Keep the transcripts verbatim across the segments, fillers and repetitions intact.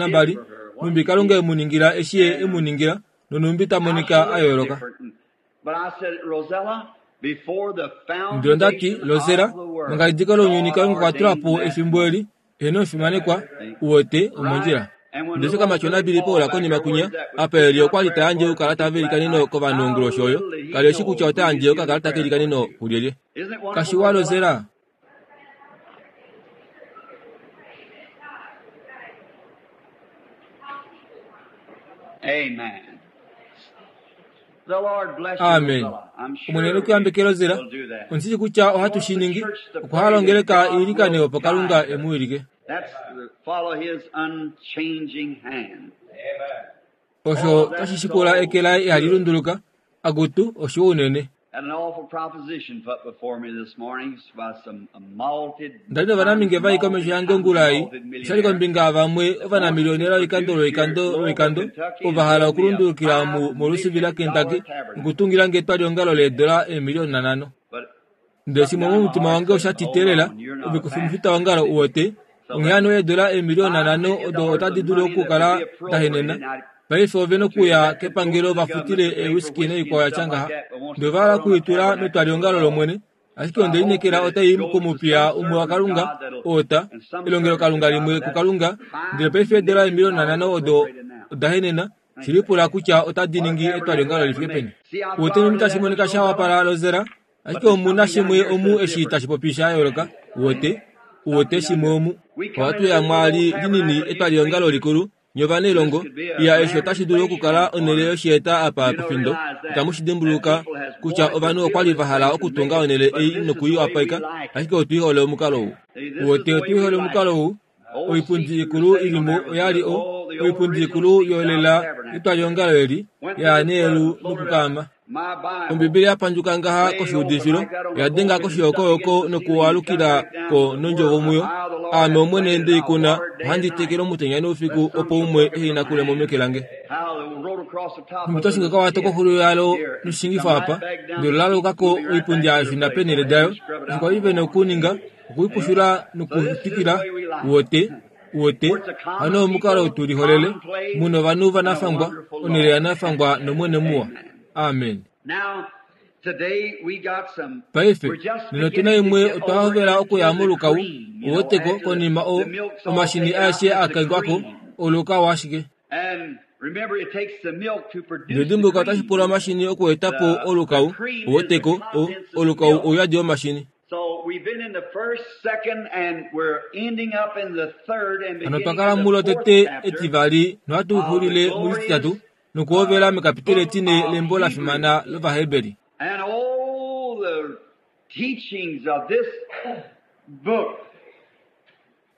nambali, nhumbi Kalunga e mu ningila eshi Ye e mu ningila, nonhumbi ta monika a yooloka. But I said, Rosella, Ndele ondati Lozera manga lounyuni Kalunga okwa tula po efimbo eli eheno omufimanekwa uwete omondjila. Ndele kamatyona Billy Paul konima kunya apa eli okwa li ta yandje oukalata velikaneno kovanhu onguloshi oyo kali eshi kutya ota yandje okakalata kelikaneno kulyelye. Kashiwa Lozera. Amen. The Lord bless you, Amen. Rosella. I'm sure Omwene nokuyambeke Lozera. we'll do that. Ondishi kutya ohatu shi ningi okwa halongeleka iilikane opo Kalunga emuwilike. That's the, follow his unchanging hand. Osho tashi shikula eke laye ihali lunduluka akutu oshiwa unene. Had an awful proposition put before me this morning by some malted Ndali novanamhinge vai komesho yange ongula ei oshali kombinga vamwe ovanamiliyonela lwoikando lwoikando lwoikando ova hala okulundulukila mu molusivi la Kentucky nokutungila nge etwaliongalo leedola eemiliyona nhano. But Ndele shimwe momutima wange osha titeelela ove kufi wongalo uwete onghee hano eedola eemiliyona nhano odo otadi dulu okukala dahenena. Paife ove nokuya kepangelo vafutile eewiski noikwao yatya ngaha. Ndele ova hala okuitula metwaliongalo lOmwene, ashike onde lineekela otai kumupiya umwe waKalunga oota elongelokalunga limwe kuKalunga. Ndele paife eedola eemiliyona nhano odo odahenena shilipula kutya otadi ningi etwaliongalo lifike peni. Uwete nhumbi tashi monika sha wapala Lozera, ashike omuna shimwe omu eshi tashi popi sha yooloka. Uwete uwete shimwe omu. Ohatu ya mwaali linini etwaliongalo likulu nye ovanailongo iya eshi otashi dulu okukala onhele yoshieta apa pefindo. Itamu shi dimbuluka kutya ovanhu okwali va hala okutunga onhele ei nokuiwapeka, ashike otwihole omukalo ou. Uwete otwihole omukalo ou. Oipundi ikulu ilimo oyali o oipundi ikulu yolela etwaliongalo eli ya neelu nokukaama. my Bible Ombibeli yapandjuka ngaha koshiudifilo oyadenga koshiyokoyoko nokuwalukila ko nondjovo muyo. Aame Omwene ndeikuna ohandi tekele omutenya noufiku opo umwe ehe mo meke lange. how they wrote across the top Nhumbi of the twashinga kawato koxulo yalo noshishingifo apa ndele olalukako oipundi yashuna peenhele dayo. Osho kwali vena okuninga okuipushula nokutikila uwete uwete hano omukalo tuliholele muna ovanhu vanafangwa onhele yanafangwa nomwene muwa. Amen. Now, today we got some Paife we're just nena otuna beginning to imwe get otwa over hovela okuya into the molukau cream, you know, uweteko after konima o the milk's all omashini taken out, aeshe it's the akangwako cream. olukau ashike. And remember, it takes the milk to produce Ndele the dimbuluka otashi cream. pula omashini okuetapo olukau uweteko o olukau ouyadi womashini. So we've been in the first, second, and we're ending up in the third and Hano beginning twakala in the mulo fourth tete chapter etivali nohatu xulile mulititatu nokuhovela mekapiteli etine lembo la fimana lOvaheberi. And all the teachings of this book.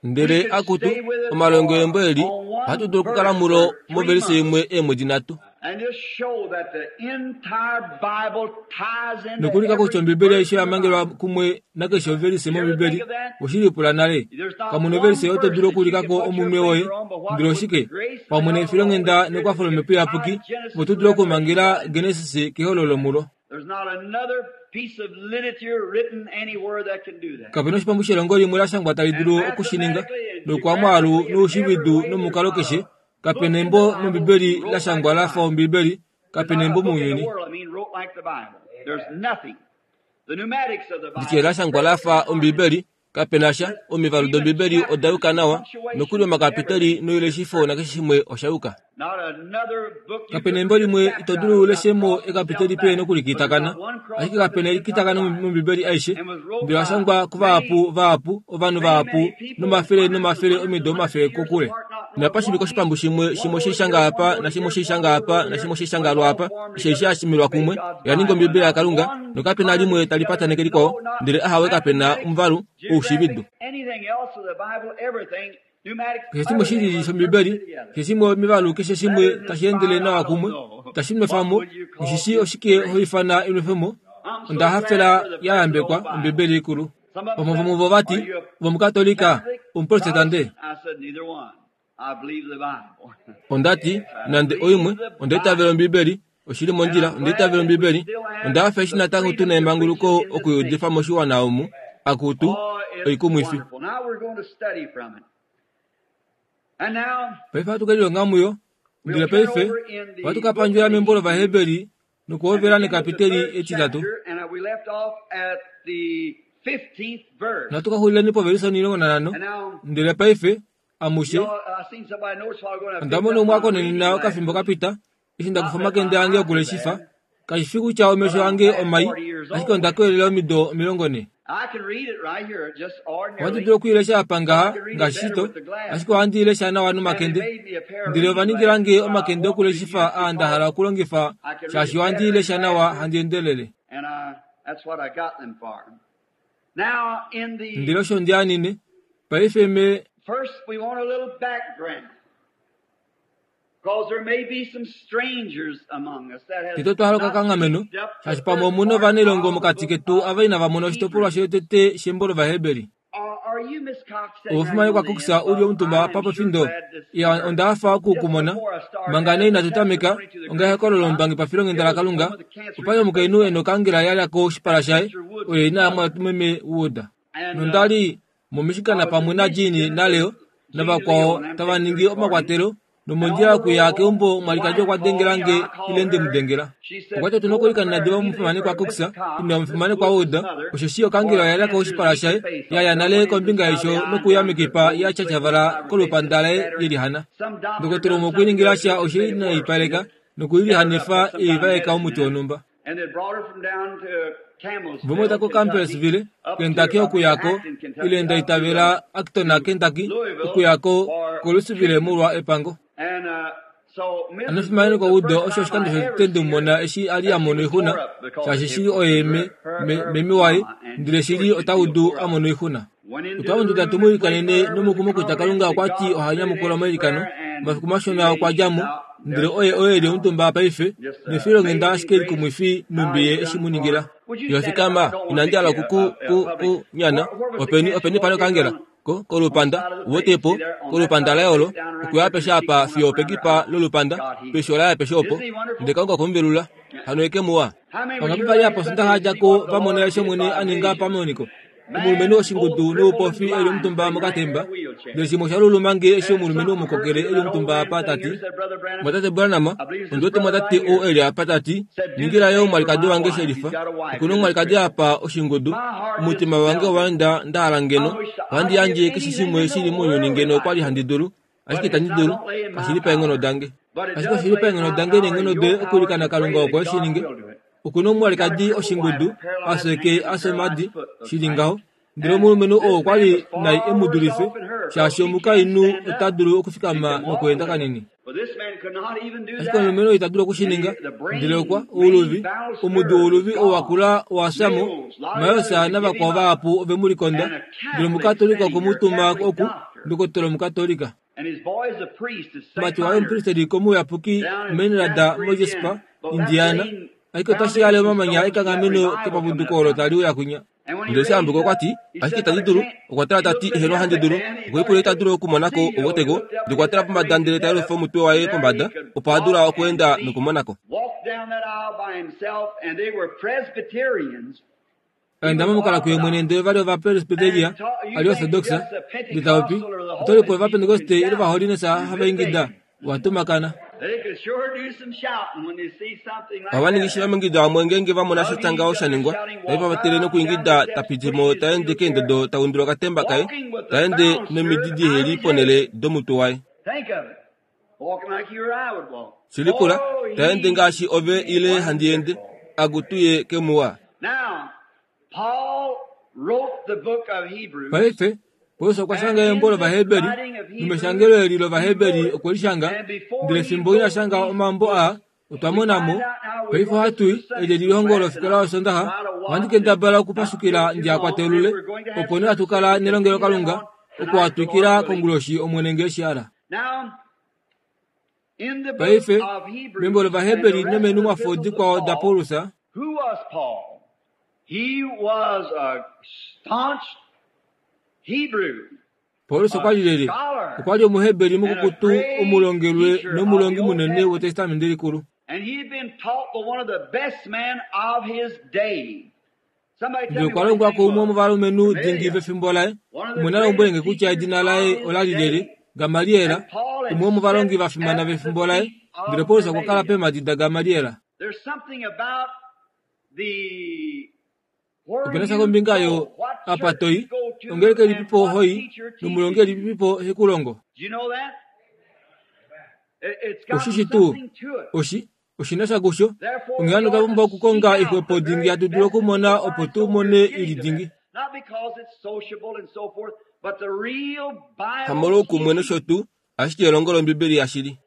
Ndele akutu omalongo embo eli ohatu dulu okukala mulo movelise imwe eemwedi nhatu. And just show that the entire Bible ties into Nokulika kutya every ombibeli verse aishe in the yamangelwa Bible. kumwe nakeshe ovelise mombibeli oshilipula nale. Kamuna ovelise oyo to dulu okuulikako omunwe woye ndele oshike pamwe nefilonghenda nekwafo lomhepo iyapuki opo tu dule okumangela Genesis kehololo mulo. There's not another piece of literature written anywhere that can do that. Kapena oshipambu shelongo limwe la shangwa tali dulu okushininga nokwamwaalu noushividu nomukalo keshe. Kapena embo mombibeli la shangwa lafa ombibeli. There's Kapena not a embo book in the mounyuni world, I mean, wrote like the Bible. There's nothing. The pneumatics of the nditye Bible. la shangwa lafa ombibeli kapena sha omivalu dombibeli oda yuka nawa nokuli omakapiteli noileshifo nakeshe shimwe osha yuka. Not another book you Kapena could embo read a limwe chapter ito out dulu of uleshemo without crossing ekapiteli yourself pe back. nokulikitakana But there's not one cross ashike up kapena in the elikitakana entire Bible. mombibeli aishe And was wrote ndele by oshangwa kuvahapu many, vahapu ovanhu many, vahapu many people, nomafele hundreds and nomafele hundreds omido and hundreds omafele of years kokule. apart, not knowing Napashimika one oshipambu shimwe one shimwe word shishanga here, apa one word nashimwe here, one shishanga word apa over here, nashimwe but shishanga all lwapa formed eshe together ashimilwa to make kumwe God's yaninga Bible. ombibeli Not yaKalunga one nokapena limwe harmony tali together, pataneke likwao no, not ndele ahawe kapena mathematics, omuvalu oushividu. geographics, anything else of the Bible, everything, pneumatics, Keshe shimwe everything shili runs shombibeli perfectly together. keshe shimwe omivalu keshe That shimwe isn't tashi endele inspired, I nawa don't kumwe know. tashi What nwefamo would you call oshishi oshike inspiration? hoifana enwefemo I'm so onda glad hafela for the ya blessed old yambekwa Bible. ombibeli ikulu. Some of them Vamwe said, vomuvo vati Are you a vomukatolika Catholic, omuprotestante. Protestant? I said, Neither one. I believe the Bible. Ondati I nande oimwe believe the onda itavela Bible. ombibeli oshili And mondjila I'm onda itavela glad that we ombibeli still have onda hafa eshi the natango freedom tuna to preach emanguluko it in this okuyudifa nation. moshiwana omu akutu Oh, it's oikumwifi. wonderful. Now we're going to study from it. And now Paife ohatu kelilonga muyo we'll ndele turn paife over in ohatu the ka book pandjula of the membo Hebrews lOvaheberi Nokuhovela nekapiteli etitatu. Natu ka xulileni povelise omilongo nanhano. Ndele paife amushe onda mona umwe akonenena okafimbo kapita eshi ndakufa omakende ange okuleshifa. Kashi fi kutya omesho ange omai, ashike onda koyelela omido omilongo nhe. Ohandi dulu okwiilesha apa ngaha ngaashi shito, ashike ohandi ilesha nawa nomakende. Ndele ova ningilange omakende okuleshifa aa nda hala okulongifa shaashi ohandi ilesha nawa handi endelele. Ndele osho ndi anine. Paife me First, we want a little background. Because there may be some strangers among us that has tete twahaloka kanghameno shaashi pamwe omuna ovanailongo mokati ketu ava inava mona oshitopolwa shotete shembo lOvaheberi. Are you Miss Cox sitting Obufumanyi kwa Cox uli omutumba apa pofindo ya onda hafa okukumona manga nee inatu tameka onga lombangi pafilongenda la Kalunga opali omukainhu ena okangela yalyako oshipala shaye oyo ina amwa meme Wood. Nondali momishikana pamwe na Jean naLeo navakwao tava ningi omakwatelo nomondjila okuya keumbo mwalikadji okwa dengelange ile ndemudengela. Okwati otuna okuilikana diva omufimane kwa Cox ina omufimane kwa Wood osheshi okangela oyalyako oshipala shaye yaya nale kombinga yesho nokuya mekipa yatyatyavala kolupanda laye yelihana. Ndokotela umwe okwiiningila sha oshe inaipaleka nokuilihanifa eivaeka omuti wonhumba. And they brought her from down to Campbellsville, Vomweta ko Campbellsville, Kentucky okuyako ile ndaitavela Acton Kentucky okuyako koLouisville molwa epango. And uh, so Missus Anofimane kwa Wood, Wood the first osho oshikando time I ever shotete seen ndimumona her, eshi ali a mono she was oixuna tore up because shaashi it shili oye me, her, me, her memi waye mama, and ndele sure shili she'd ota feel udu tore up. a mono oixuna. Went into Otwa the monduda room and tumu prayed ilikanene for her with the nomukumo kutya Kalunga confidence that okwati God oha stood nyamukula in omailikano. prayer, and Omafiku two mashona days okwa she's dja mo out ndele there oye oye eli now. omutumba paife Just uh, nefilonghenda amazing ashike grace likumwifi how numbi ye he's eshi done mu for ningila. her. Would you stand up? I Yofikama don't want to inandi make hala you a, kuku a, a ku public. ku nyana Where, where was the openi cancer openi pano located kangela on ko on the kolupanda side of the face? wotepo See there on that kolupanda side of laye the olo face, down around okuya here, pesha your cheek apa going fiyo up around her pekipa eye. lolupanda God healed. pesho laye pesha opo Isn't he wonderful? ndele Kalunga okumuvelula hano eke muwa. How many were Vangapi here vali last apa Sunday sondaxa to see djako what the vamona Lord eshi did Omwene by a ninga vision? pamoniko. Omulumenhu Man, oshingudu both crippled and noupofi eli blind, omutumba sitting right there mokatemba in a wheelchair. ndele shimwe osha lulumange eshi And omulumenhu something hurt omukokele me. eli That old omutumba man apa sitting tati here said, Brother Branham, mwatate Branham I believe it's this ondiwete brother mwatate right here, ou eli apa tati said, do the ningila yo same for omwalikadi my wange wife. He's shelifa got a wife okuna here that's omwalikadi crippled. apa oshingudu My heart just omutima wange melted. owaenda ndahala I ngeno wish I'd ohandi give yandje keshe anything shimwe in the shili mounyuni world ngeno if I okwali could. handi dulu But ashike it's itandi not dulu don't lay in my kashili paenghono power. dange But it ashike does oshili lay in paenghono my dange power and neenghono your doye power okuilikana to pray Kalunga that opo eshi God ninge. will do it. Okuna He's got a omwalikadi crippled wife, oshingudu a paralyzed asweke hand and paralyzed asomadi foot, looks shili like. ngaho ndele And omulumenhu oo this man okwali was nai far emu worse dulife off than her because shaashi she can't omukainhu stand ota up. dulu She okufikama can walk a nokweenda little. kanini. But this man could not even do Ashike that. omulumenhu oo ita dulu And okushininga he, the ndele okwa brain, main ouluvi bowel omudu nerve was wouluvi oo gone. wakula owasamo Mills, a lot of others mayosa to give him navakwao up. vahapu ove mu likonda And a ndele Catholic omukatolika sitting okwe here, mu tuma Catholic oku doctor. ndokotela omukatolika. And his boy is a priest at Saint Mati waye Leonard's omupristeli komuyapuki down in Menrada Jasper, moJespa Indiana. But that's Indiana laying ashike otashi yale foundations omamanya stones for that ekanghameno revival coming kepapuduko up olo now. tali uya kunya. And when he Ndele eshi raised ambuka up, okwati he ashike said, itandi But I dulu can't. okwa tala He tati looked at eheno me handi that dulu man, he okwe thought pula he ita could dulu okumonako see. You know, he obotego looked up ndele and okwa his tala head pombada raised ndele his ta head yelufa up, omutwe waye and there pombada he could opo a dula walk and okuenda see. nokumonako. Walked down that aisle by himself, and they were Presbyterians. He Aenda was momukala kuye mwene Orthodox. ndele vali ovapresbiteria And ta- you ali think orthodoxa just the ndele taupi Pentecostal or the otolipo Holiness people can ovapentekoste ile shout. vaholinesa You're hava ingida mistaken. watumakana. They could sure do some shouting when they see something like Ohava ningi that shi happen. vamingida vamwe ngeenge vamona sha Hugging tya each ngaho other, sha ningwa shouting, nave walk va right vatele up down the nokuingida steps, tapitimo pushed his taende wheelchair, keendodo taundula okatemba kaye walking with the taende bound spirit nomididi out of heli his head. ponele domutwe waye. Think of it. Walking like you or I would walk. Shilikula Oh, taende he ngaashi ove ile handi ende wonderful. akutuye kemuwa. Now, Paul wrote the book of Hebrews, Paife Paulus okwa and shanga in embo this lOvaheberi writing of Hebrews, nomeshangelo eli he lOvaheberi wrote it. okwe li shanga And before ndele he fimbo ina wrote shanga these omambo aa books, otwa we mona find mo out now we paife go, this ohatui is the eli Sunday school elihongo class, and lofikola I'll yosondaxa try to ohandi watch and kendabala not okupashukila take too ndi long. akwatelule Then we're going to have opo nee church hatu kala service and nelongelo continue that Kalunga on tonight, the okuwatwikila Lord willing. konguloshi Omwene nge eshihala. Now, in the book Paife of membo Hebrews and the lOvaheberi rest of the nomenumwafo epistles of dikwao da Paul, Paulus who was Paul? He was a staunch Hebrew, Paulus a okwa li lele scholar, okwa li omuheberi and a mukukutu great omulongelwe teacher of nomulongi the Old munene Testament. wetestamende likulu. And he had been taught by one of the best men of his day. Somebody tell Ndele me okwa what his longwa name kuumwe was. womovalumenhu dingi Gamaliel, vefimbo laye one of the umwe na lombwelenge greatest kutya teachers edina of laye his ola li lele day. Gamaliela And Paul had umwe womovalongi sat va fimana at the vefimbo laye feet ndele of Paulus okwa kala Gamaliel. peemhadi daGamaliela. Opena sha kombinga yo apa toi, ongeleka ilipipo hoi, nomulongi elipipo hekulongo. Oshishi tuu, oshi, oshina sha kusho, onghee hano otwa pumbwa okukonga ixwepo dingi hatu dulu okumona opo tu mone ili dingi. Hamolwoukumwe nosho tuu, ashike elongo lOmbibeli yashili.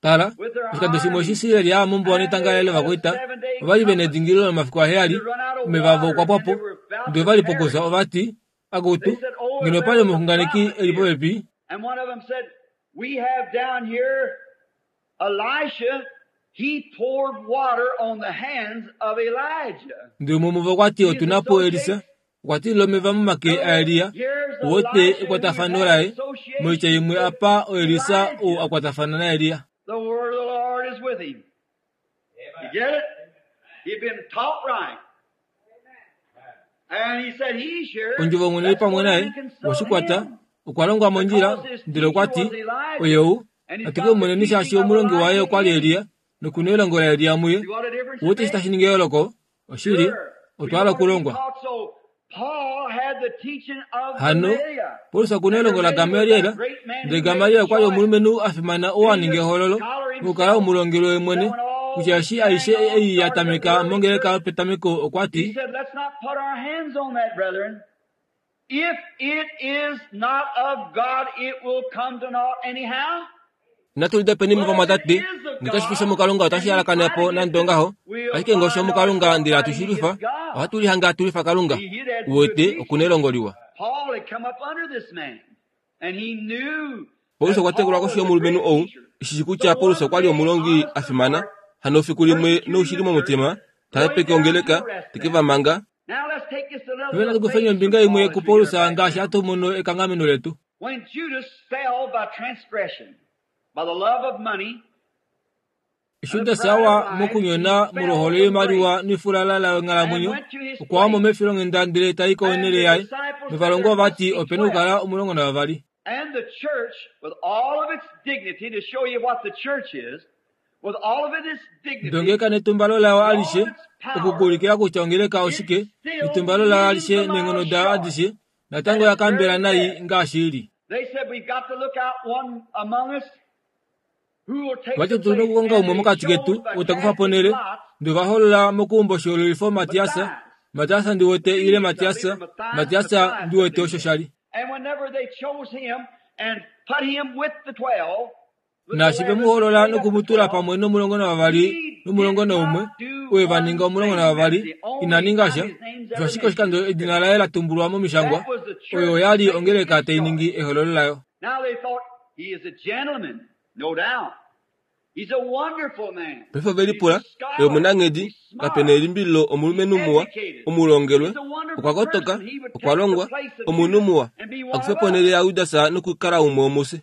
Tala, oshikando shimwe eshi Israel ya mombuwa netanga laye lovakwaita, ovali vena edingililo lomafiku aheyali, omeva avo okwa pwapo, ndele ovali pokufya ovati, akutu, ngeno opali omuxunganeki eli popepi. Ndele umwe womuvo okwati otuna po Elisa, okwa tilila omeva momake aElia, uwete ekwatafano laye, moitya imwe apa oElisa ou akwatafana naElia. The word of the Lord is with him. You get it? He'd been taught right. And he said he's here. Ondjovo Omwene oi pamwe naye, oshikwata, okwa longwa mondjila, ndele okwa ti, oye ou, atuke mumoneni shaashi omulongi waye okwa li Elia, nokuna elongo laElia muye. Uwete eshi tashi ningi eyooloko? Oshili, otwa hala okulongwa. Hano, Paulus okuna elongo laGamaliel, ndele Gamaliel okwa li omulumenhu a fimana oo a ninga ehoololo, mokukala omulongelwe wemwene, kutya eshi aishe ei ya tameka mongeleka yopetameko okwa ti, Inatu lidopeni muvamwatate, ngee kashi fi shomukalunga otashi halakana po nande ongaho, ashike ngee oshomukalunga ndele hatu shi lwifa, ohatu lihange hatu lwifa Kalunga. Uwete okuna elongo liwa. Paulus okwa tekulwa koshi yomulumenhu ou, eshi kutya Paulus okwa li omulongi a fimana, hano efiku limwe noushili momutima, ta hepeke ongeleka, teke va manga. Paife natu kufeni ombinga imwe kuPaulus ngaashi hatu mono ekanghameno letu. Eshi Judas awa mokunyona molwohole yoimaliwa nefulala longhalamwenyo, okwa wamo mefilonghenda ndele tai konhele yaye, novalongwa ovati opena okukala omulongo navavali. Ndongeleka netumbalo layo alishe, okukuulikila kutya ongeleka oshike, netumbalo layo alishe neenghono dayo adishe, natango oya kambela nai ngaashi ili. Vati otuna okukonga umwe mokati ketu ou takufa ponhele, ndele ovaholola mokuumba oshihoololifo Matias, Matias ndiwete ile Matias, Matias ndiwete osho shali. Naashi ve mu hoolola nokumutula pamwe nomulongo navavali nomulongo naumwe, oye va ninga omulongo navavali, ina ninga sha, osho ashike oshikando edina laye la tumbulwa momishangwa, oyo oyali ongeleka tai ningi ehoololo layo. Paife ovelipula, oye omunanghedi, kapena elimbililo omulumenhu muwa, omulongelwe, okwa kotoka, okwa longwa, omunhu muwa, akufe ponhele yaJudas nokukala umwe womufye.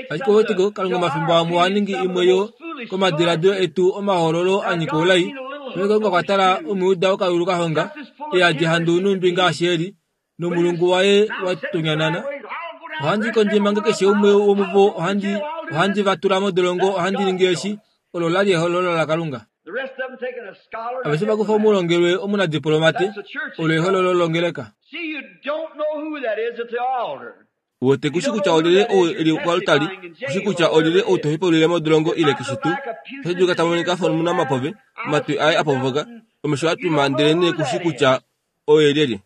Ashike ouweteko Kalunga omafimbo amwe oha ningi imwe yo komadiladilo etu omahoololo a nyika oulai. Paife Kalunga okwa tala Omujuda okayulu kahonga, eyadi handu numbi ngaashi eli, nomulungu waye watonyanana. Ohandi kondje manga keshe umwe womuvo ohandi ohandi va tula modolongo ohandi ningi eshi, olo lali ehoololo laKalunga. Aveshe vakufa omulongelwe omunadiplomate, olo ehoololo longeleka. Uwete kushi kutya olyelye ou eli koaltari, kushi kutya olyelye ou tohepaulile modolongo ile keshe tuu. Otashi dulika ta monika afa omunamapove, omatwi aye apovoka, omesho atwima ndele nee kushi kutya oye lyelye.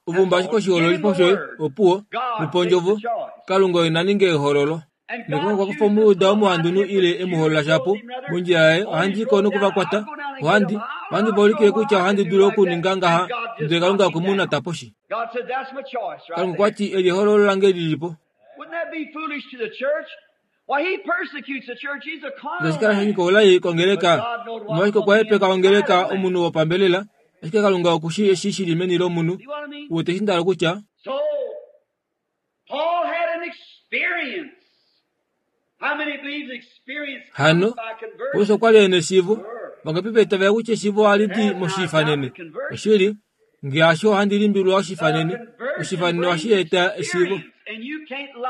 Uvumba ashike oshihoololifo shoye, opuwo, mupa ondjovo, Kalunga oye na ninge ehoololo. Nekongo okwa kufa Omujuda omuhandunhu ile emuhoolola shapo, mondjila yaye ohandi iko nokuvakwata, ohandi, ohandi va ulikile kutya ohandi dulu okuninga ngaha, ndele Kalunga okwe mu nata poshi. Kalunga okwa ti eli ehoololo lange lilipo. Itashi kala sha nyika oulai kongeleka, omolwashike okwa hepeka ongeleka omunhu wopambelela, ashike Kalunga okushi eshi shili meni lomunhu. Uwete eshi nda hala okutya? Hano, Paulus okwa li ena eshiivo. Vangapi va itavela kutya eshiivo ohali di moshiifanene? Oshili, ngee hasho ohandi limbililwa oshiifanene. Oshiifanene ohashi eta eshiivo.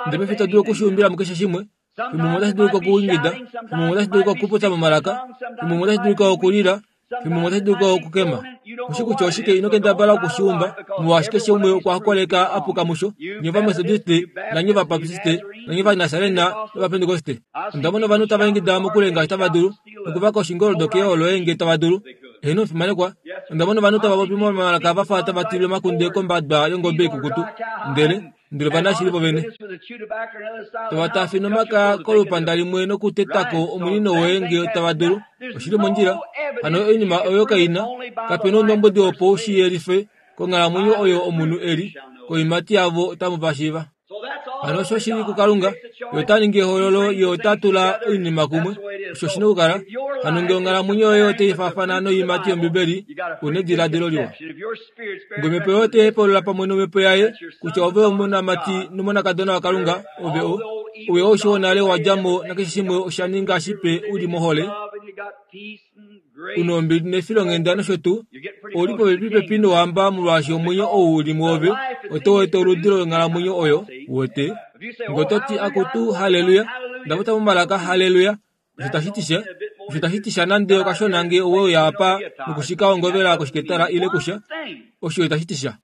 Ndele paife to dulu okushiumbila mukeshe shimwe. Fimbo otashi dulika okuingida, fimbo otashi dulika okupopya momalaka, fimbo otashi dulika okulila, fimbo otashi dulika okukema. Kushi kutya oshike ino kendabala okushiumba, molwaashi keshe umwe okwa koleka apuka musho, nye Ovametodiste, nanye Ovabaptiste, nanye Ovanasarena nOvapentekoste. Onda mona ovanhu tava ingida mokule ngaashi tava dulu, nokuvaka oshingoldo keolo ngee tava dulu. Eheno omufimanekwa, onda mona ovanhu tava popi momalaka va fa tava tilile omakunde kombada yongobe ikukutu, ndele ndele ovanashili vovene. Tava taafina omaka kolupanda limwe nokutetako omunino woye ngee tava dulu. Oshili mondjila. Hano oinima oyo kaina, kapena oundombwedi opo u shi yelife konghalamwenyo oyo omunhu eli, koiimati yavo otamu va shiiva. Hano osho shili kuKalunga, ye ota ningi ehoololo, ye ota tula oinima kumwe. Osho oshina okukala. Hano ngee onghalamwenyo yoye otai faafana noiimati yOmbibeli, una ediladilo liwa. Ngee omhepo yoye otai hepaulula pamwe nomhepo yaye kutya ove omonamati nomonakadona waKalunga, ove o ouye aushe wonale wa dja mo nakeshe shimwe osha ninga shipe u li mohole, una ombili nefilonghenda nosho tuu, ouli popepi nohamba molwaashi omwenyo ou uli mwoove otau eta oludi longhalamwenyo oyo, uwete. Ngee oto ti akutu halleluya, nda popya momalaka halleluya, osho tashi ti sha, osho tashi ti sha nande okashona ngee owe uya apa nokushika ongovela koshiketala ile kusha, osho itashi ti sha.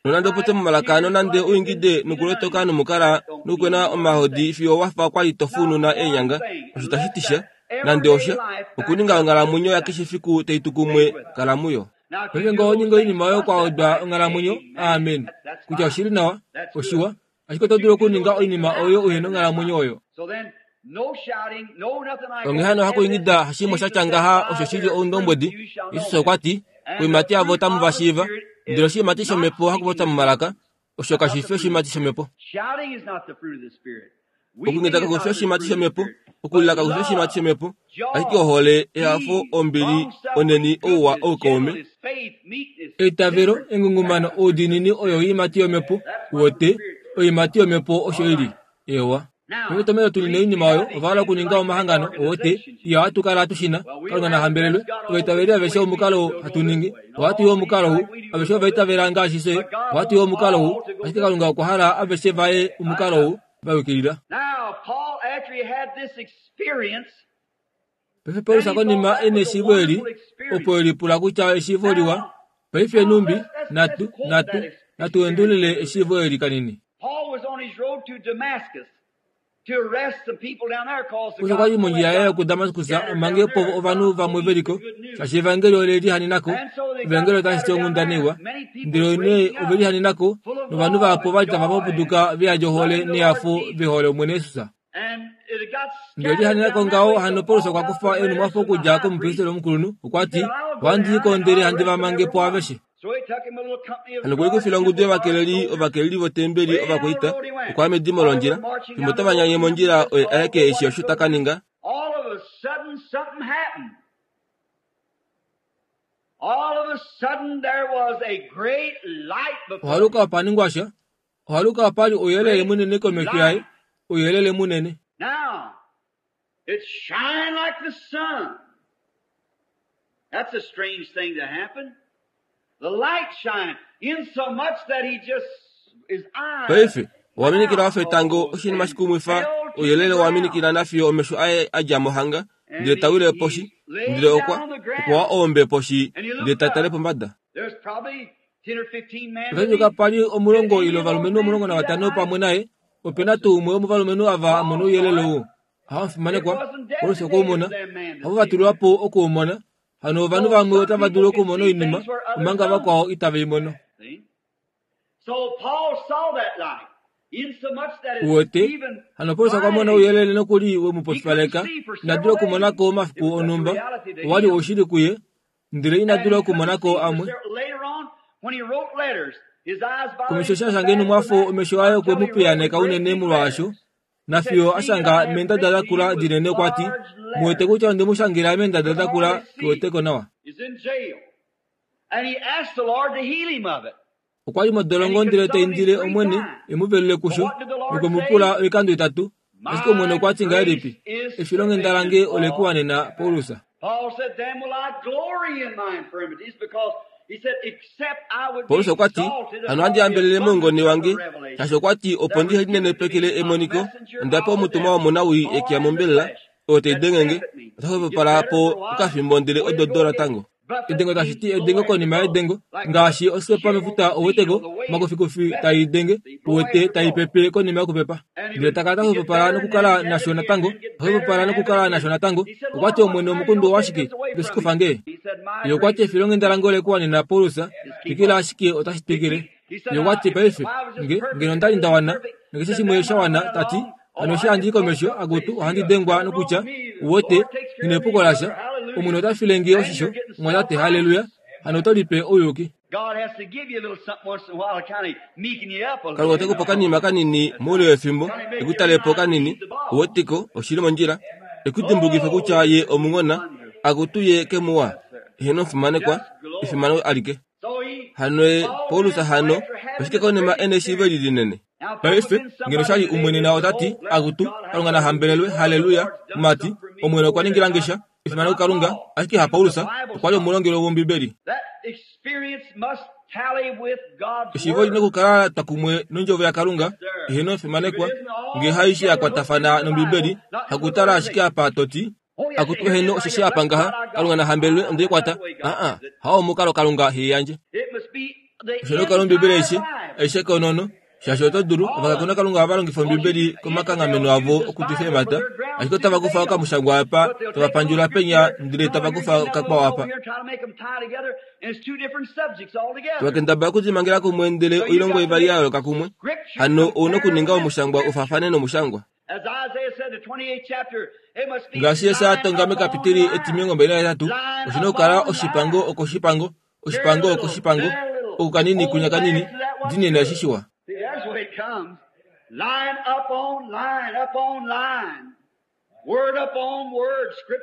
Nonande upopye momalaka, nonande uingide nokulotoka nomukala nokukwena omahodi fiyo wafa kwali tofununa eenyanga, osho tashi ti sha, nande osha, okuninga onghalamwenyo yakeshe fiku tai tu kumwe, kala muyo. Paife ngee oho ningi oinima oyo kwa wedwa onghalamwenyo, amen, kutya oshili nawa, oshiwa, ashike oto dulu okuninga oinima oyo uhena onghalamwenyo oyo. Onghee hano hakuingida hashimwe shatya ngaha osho shili oundombwedi. Jesus okwa ti, koiimati yavo otamu va shiiva. Ndele oshiimati shomhepo hakupopya momalaka, osho kashi fi oshiimati shomhepo. Okuingida kaku fi oshiimati shomhepo, okulila kaku fi oshiimati shomhepo, ashike ohole, ehafo, ombili, onheni, ouwa, oukaume. Eitavelo, engungumano, oudiinini oyo oiimati yomhepo, uwete, oiimati yomhepo osho ili. Ewa. Paife etomhelo tu nine oinima oyo, ova hala okuninga omahangano, uwete, iya ohatu kala tushina, Kalunga na hambelelwe, ovaitaveli aveshe omukalo hatu ningi, ohatu i omukalo ou, aveshe ovaitavela ngaashi fye, ohatu i omukalo ou, ashike Kalunga okwa hala aveshe vaye omukalo ou, va yukilila. Paife Paulus konima ena eshiivo eli, opo elipula kutya eshiivo liwa, paife numbi, natu, natu, natu endulule eshiivo eli kanini. Paulus okwa li mondjila yaye yokuDamaskus amange po ovanhu vamwe veliko, shaashi evangeli ole lihanenako, evangeli otashi ti onghundana iwa, ndele nee ove lihanenako, novanhu vahapu ovali tava papuduka veyadi ohole nehafo vehole Omwene Jesus. Ndele lihanenako ngaho hano Paulus okwa kufa enhumwafo okudja komupristeli omukulunhu, okwa ti, ohandi i ko ndele handi va mange po aveshe. Hano okwe likufila ongudu yovakeleli, ovakeleli votembeli ovakwaita, okwa ya medimo londjila, fimbo tava nyanye mondjila oye aeke eshi osho ta ka ninga. Ohaluka opa ningwa sha, ohaluka opa li ouyelele munene komesho yaye, ouyelele munene. Paife, owa minikila wafa etango, oshinima shikumwifa, ouyelele owa minikila nafiyo omesho aye a dja mohanga, ndele ta wile poshi, ndele okwa, okwa wa oombe poshi, ndele ta tale pombada. Otashi dulika pa li omulongo ile ovalumenhu omulongo navatano pamwe naye, ope na tuu umwe womovalumenhu ava a mona ouyelele ou. Aha omufimanekwa, Paulus okwe u mona. Havo va tulwa po oku u mona. Hano ovanhu vamwe otava dulu okumona oinima, omanga vakwao itave i mono. Uwete, hano Paulus okwa mona ouyelele nokuli we mu pofipaleka, ina dula okumonako omafiku onhumba, owa li oushili kuye, ndele ina dula okumonako amwe. Komesho eshi a shanga enhumwafo omesho aye okwe mu piyaaneka unene molwaasho, nafiyo a shanga meendada dakula dinene okwa ti, muwete kutya onde mu shangela meendada dakula keweteko nawa. Okwa li modolongo ndele ta indile Omwene e mu velule kusho, nokwe mu pula oikando itatu, ashike Omwene okwa ti ngahelipi, efilonghenda lange ole ku wanena, Paulus. Paulus okwa ti hano ohandi hambelele moungone wange shaashi okwa ti opo ndihe linenepekele emoniko onda pewa omutumwa womunawii ekiya mombelela oyo tai dengenge ota xwepopala po okafimbo ndele ododo natango. Edengo tashi ti edengo konima yedengo ngaashi osikepa mefuta ouweteko omakufikufi tai denge uwete tai pepe konima yokupepa ndele takala ta xwepopala nokukala nasho natango xwepopala nokukala nasho natango. Okwa ti omwene omukundu owashike itoshikufa nge? Ye okwa ti efilonghenda lange olekuwanena Paulus twikila ashike otashi twikile. Ye okwa ti paife nge ngeno ondali nda wana nokeshe shimwe sha wana tati hano eshi handi i komesho akutu ohandi dengwa nokutya uwete nghi epuko lasha omwene ota file nge oshisho mwatate haleluya hano oto lipe ouyuki. Kalunga ote kupa okanima kanini moule wefimbo ekutalepo kanini uwetiko oshili mondjila ekudimbulukife kutya ye omunghona akutu ye kemuwa eheno omufimanekwa efimano alike. Hano ye Paulus hano oshike konima ena eshiivo eli linene? Paife ngeno shali umwene na otati akutu Kalunga na hambelelwe haleluya mati omwene okwa ningila nge sha efimano kuKalunga ashike ha Paulus okwa li omulongelo wOmbibeli. Eshiivo oli nokukala twa kumwe nondjovo yaKalunga eheno omufimanekwa ngee haishi ya kwatafana nOmbibeli hakutala ashike apa toti akutu eheno osheshi apa ngaha Kalunga na hambelelwe ondeikwata aa hao omukalo Kalunga heiyandje. Osho nokukala Ombibeli aishe aishe konono shaashi oto dulu ovakakona Kalunga ohava longifa Ombibeli komakanghameno avo okutwifa eemhata ashike otava kufa okamushangwa apa tava pandjula penya ndele tava kufa okakwao apa tava kendabala okudimangela kumwe ndele oilongo ivali ya yooloka kumwe hano ouna okuninga omushangwa ufaafane nomushangwa. Ngaashi Jesaja a tonga mekapiteli etimilongo mbali nahetatu oshina okukala oshipango okoshipango oshipango okoshipango oku kanini kunya kanini dinene eshi shiwa.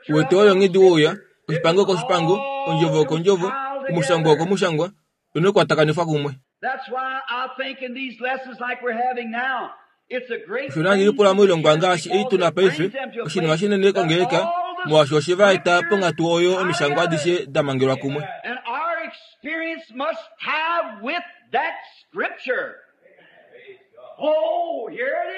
Uwete oyo onghedi wouya oshipango okoshipango ondjovo okondjovo omushangwa okomushangwa oina okukwatakanifwa kumwe. Osho nandi lipula moilongwa ngaashi ei tuna paife oshinima shinene kongeleka molwaashi oshe va eta ponghatu oyo omishangwa adishe da mangelwa kumwe.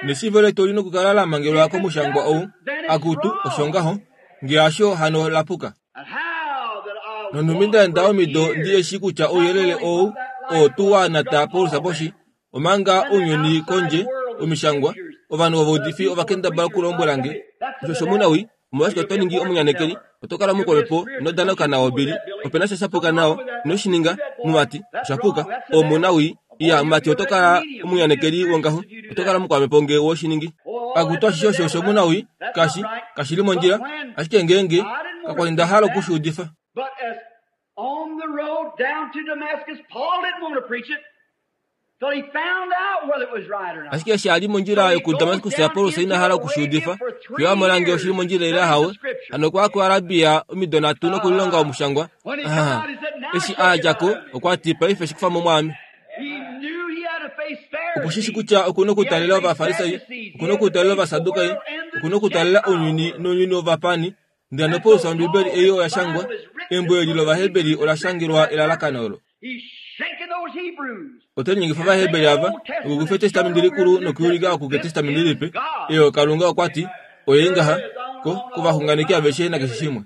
Neshiivo letu oli nokukala la mangelwa komushangwa ou akutu osho ngaho ngee hasho hano lapuka. Nonhumbi nda enda omido ndi eshi kutya ouyelele ou oo tuu wa nata Paulus poshi omanga ounyuni kondje omishangwa ovanhu vovaudifi ovakendabala okulombwela nge osho shomunawii omolwashike oto ningi omunyanekeli oto kala mukolopo ino danauka nawo Billy opena sha shapuka nao ino shi ninga mumati oshapuka omunawii iya mumati oto kala omunyanekeli wongaho oto kala mukwamhepo ngee woshiningi akutu ashishe osho oshomunawii kashi kashili mondjila ashike ngeenge kakwali nda hala okushuudifa. Ashike eshi a li mondjila yokuDamaskus Paulus ina hala okushuudifa fiyo a mona ngee oshili mondjila ile hawe hano okwa ya kuArabia omido nhatu nokulilonga omushangwa. Eshi a dja ko okwa ti paife shikufa mo mwaame. Okushishi kutya okuna okutaalela Ovafarisai okuna okutaalela Ovasadukai okuna okutaalela ounyuni nounyuni wovapani ndele hano Paulus Ombibeli ei oya shangwa embo eli lOvaheberi ola shangelwa elalakano olo. Ote linyengifa Ovaheberi ava okukufa Etestamenti Likulu nokuulika oku kEtestamenti Lipe eyo Kalunga okwa ti oye ngaha ko kovaxunganeki aveshe nakeshe shimwe.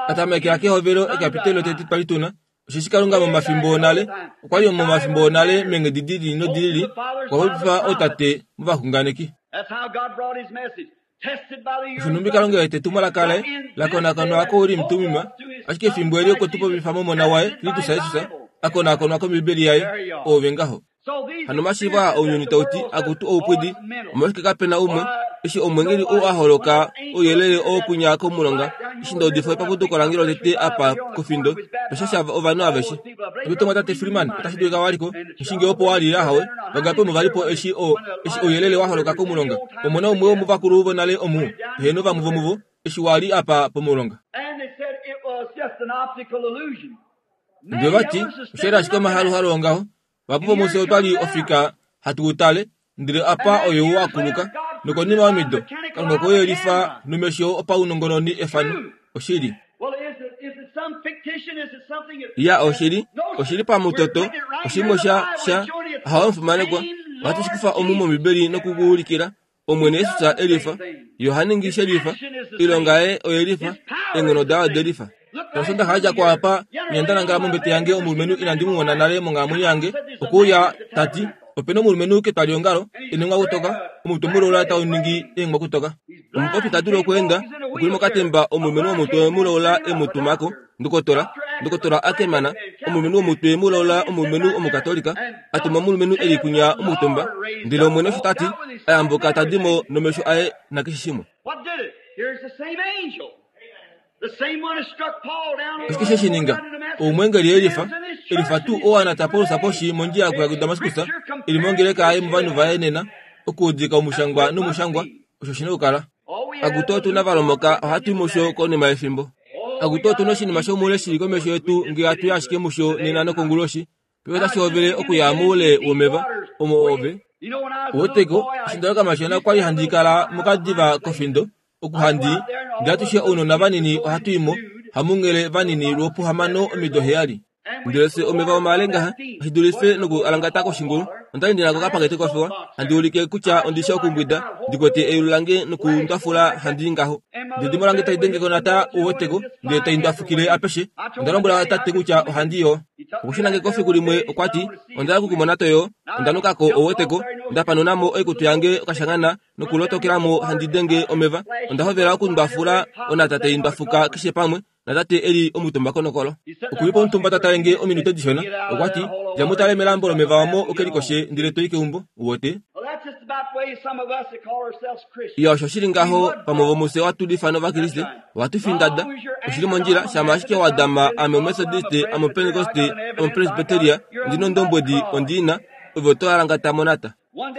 Atamekela kehovelo ekapiteli lotete twali tuna osheshi Kalunga momafimbo onale okwa li momafimbo onale meenghedi di lili nodi lili okwa popifa ootate movaxunganeki. Osho nhumbi Kalunga ete etumwalaka laye la konakonwa koUrim Tumim ashike efimbo eli okwe tu popifa momona waye Kristus Jesus a konakonwa kOmbibeli yaye oove ngaho. Hano omashiivo aa ounyuni tauti akutu oupwidi omolwashike kapena umwe eshi omweengeli ou a holoka ouyelele oo kwinya komulonga eshi nda udifa epapuduko lange lotete apa kofindo toshasha ovanhu aveshe. Oto tate Freeman otashi dulika waliko eshi ngee opo wali hawe vangapi omo valipo eshi o eshi ouyelele wa holoka komulonga omona umwe womuvakulu vonale omu eheno vamwe vomuvo eshi wali apa pomulonga. Ndele vati oshali ashike omahaluhalu ongaho vahapu vomufye otwali ofika hatu utale ndele apa oyou akuluka nokonima yomido Kalunga okwe yelifa nomesho opaunongononi efano oshili. Ya oshili, oshili pamutoto, oshimwe sha sha hawa omufimanekwa, ohatu shikufa omu mOmbibeli nokukuulikila Omwene Yesus elifa, Yohane shelifa, ilonga yaye oyelifa, eenghono daye odelifa. Osho haja kwapa nyanda nangala mombete yange omulumenhu inandi mu mona nale monghalamwenyo yange okuuya tati opena omulumenhu ketwaliongalo enengwa kutoka omutwe muloula tau ningi eengwa kutoka omupopi ta dulu okweenda okuli mokatemba omulumenhu womutwe muloula emutumako ndokotola ndokotola akemana omulumenhu womutwe muloula omulumenhu omukatolika atuma omulumenhu eli kunya omutumba ndele omwene osho tati ayambuka tadimo nomesho aye nakeshe shimwe. Oshike she shininga omwengeli elifa elifa tuu owana Paulus poshi mondjila yakuya kuDamaskus ili mongeleka aye movanhu vaye nena okuudika omushangwa nomushangwa osho shina okukala. Akuto otuna valomoka ohatu i musho konima yefimbo. Akuto otuna oshinima shomuule shili komesho yetu ngee hatu i ashike musho nena nokonguloshi paife otashi hovele okuya moule womeva omo ove oweteko eshi ndali okamashona okwali handi kala mokadiva kofindo okuhandi ndele atushe ounona vanini ohatu imo hamunghele vanini lwopuhamano omido heyali ndele se omeva omale ngaha oshidulife noku alangata koshingulu ondali ndina kokapakete kofewa handi ulike kutya ondishe okumbwida ndikwete eyulu lange nokundwafula handi ngaho ndedimo lange tai denge konata uweteko ndele tai ndwafukile apeshe onda lombwela tate kutya ohandi yo okushinange kofiku limwe okwati ondala kukumona toyo ondanukako oweteko ndapanunamo oikutu yange okashangana nokulotokelamo handi denge omeva ondahovela okundwafula onata tai ndwafuka keshe pamwe natate eli omutumba konokolo okulipo omutumba tatalenge ominute dishona okwati djamutale melambo lomeva wamo okelikoshe ndele toi keumbo uwote iya osho shili ngaho pamwe vomuse watulifa novakriste watu findada oshili mondjila shama ashike wadama ame omethodiste ame opentekoste ame opresbyteria ndina ondombwedi ondiina ove oto alangata monata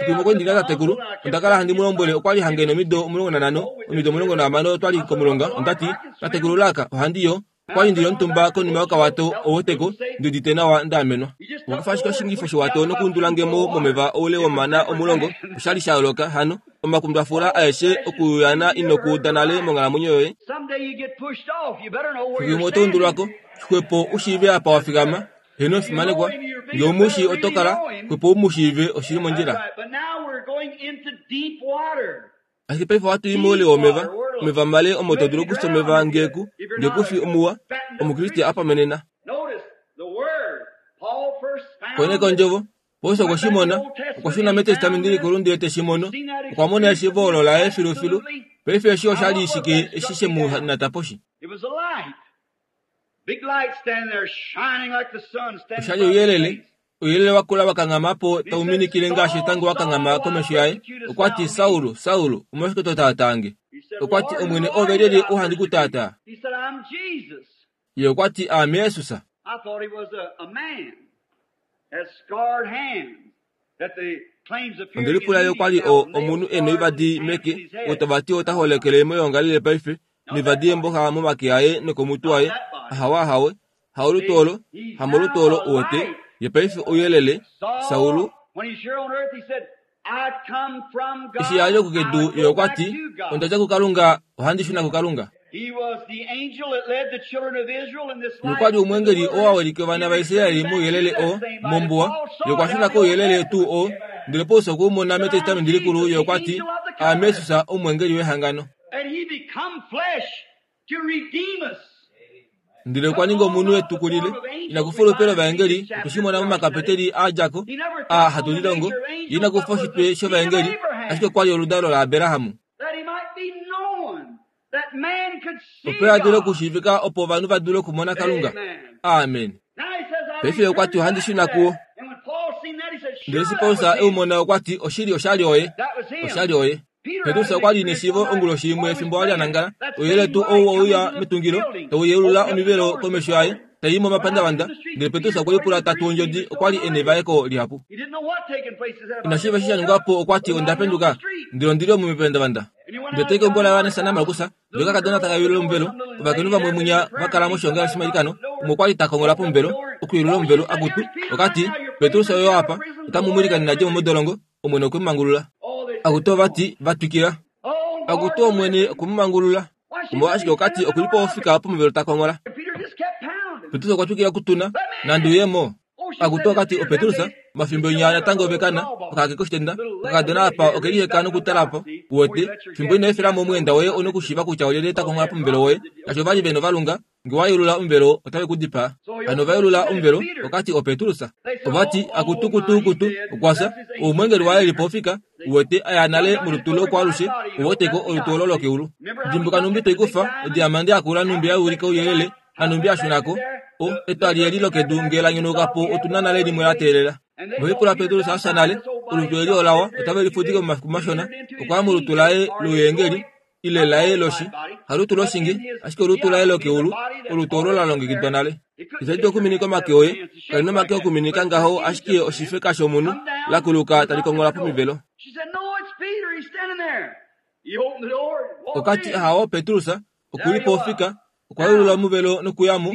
Fimbo kwendina tatekulu ondakala handi mulombwele okwali hange nomido omulongo nanhano omido omulongo nahamano otwali komulonga ondati tatekulu laka ohandi yo okwali ndili omutumba konima yokawato oweteko ndiudite nawa ndaamenwa okufa ashike oshingifo showato nokuundulangemo momeva oule womana omulongo oshali sha yooloka hano omakundwafula aeshe okuyana inokuuda nale monghalamwenyo yoye fimbo oto undulwako xwepo ushiive apa wafikama heno ofimanekwa ngee umushi otokala xwepo umushiive oshili mondjila ashike paife ohatu i moule womeva omeva male omo to dulu okusa omeva ngeeku ngeekufi omuwa omukriste apamenena koneka ondjovo Paulus okwe shi mona okwa shuna metestamenti likulu ndele te shi mono okwa mona eshiivo olo laye filufilu paife eshi oshali shike eshi she mu nata poshi oshali ouyelele ouyelele wakula wakanghama po tau minikile ngaashi etango wakanghama komesho yaye okwati Saulu Saulu omolwashike to taatange okwati Omwene ove lyelye uhandi kutaataa ye okwati aame Jesus ondelipula ye okwali o omunhu e noivadi meke otovati ota holekele moyoongalele paife noivadi yemboxa momake aye nokomutwe waye ahawe ahawe haolutu olo hamolutu olo uwete ye paife ouyelele Saulu eshi yali okukedu ye okwati ondadja kuKalunga ohandi shuna kuKalunga nokwali omwengeli oo awilike ovana vaIsraeli mouyelele oo mombuwa ye okwa shuna kouyelele tuu oo ndele Paulus okwe u mona metestamenti likulu ye okwati aame Jesus omwengeli wehangano ndele okwa ninga omunhu etukulile inakufa olupe lovaengeli otweshimona momakapeteli a djako a hatu lilongo ye inakufa oshitwe shovaengeli ashike okwali oludalo laAbrahamu opo a dule okushiivika opo ovanhu va dule okumona Kalunga amen paife okwati ohandi shuna kuwo ndele eshi Paulus e u mona okwati oshili oshali oye oshali oye Petrus okwali neshiivo onguloshi imwe fimbo ali anangala ouyelele tuu ou ouya metungilo tau yeulula omivelo komesho yaye tai momapandavanda ndele Petrus okwe lipula tatu ondjodi okwali e nevaeko lihapu inashiiva eshi sha ningwapo okwati onda penduka ndele ondili omu mepandavanda ndele tai keumbo laJohannes naMarkus ndele okakadona taka yeulula omuvelo ovakainhu vamwe munya vakala moshiongalele shomailikano umwe okwali ta kongola pomuvelo okuyeulula omuvelo akutu okati Petrus oyo apa otamu mwilikanene adje mo modolongo Omwene okwe mu mangulula akutu ovati vatwikila akutu Omwene okwe mu mangulula omolwashike okati okulipo ofika pomuvelo ta kongola Petrus okwa twikila okutuna, nandi uyemo. Akutu okati oPetrus, mafimbo inya natango ovekana, okake koshitenda, okakadona apa okeliheka nokutalapo. Uwete, fimbo ino efelamo omweenda woye onokushiiva kutya olyelye ta konghola pomuvelo woye. Shaashi ovali vena ovalunga, nge wa yeulula omuvelo otave ku dipaa. Hano ova yeulula omuvelo, okati oPetrus. Ovati, akutu kutu kutu, okwafya, oumwengeli waye elipo ofika, uwete aya nale molutu lokwaalushe, uweteko olutu olo lokeulu. Dimbuka numbi toikufa, odiamande yakula numbi yaulika ouyelele, nanumbi yashunako, o etwali eli lokedu nge la nyonaukapo otuna nale limwe la teelela. Novipula Petrus afya nale, olutu eli olawa otave lifudike momafiku mashona, okwaya molutu laye louyengeli, ile laye loshi, halutu loshinge, ashike olutu laye lokeulu, olutu olo la longekidwa nale. Itali dulu okuminika omake oye, kali nomake okuminika ngaho ashike oshifeka shomunhu lakuluka tali konghola pomivelo. She said, No, it's Peter. He's standing there. He opened the door and walked Okati in. ahawo Petrus, okulipo ofika, okwa yeulula omuvelo nokuyamo,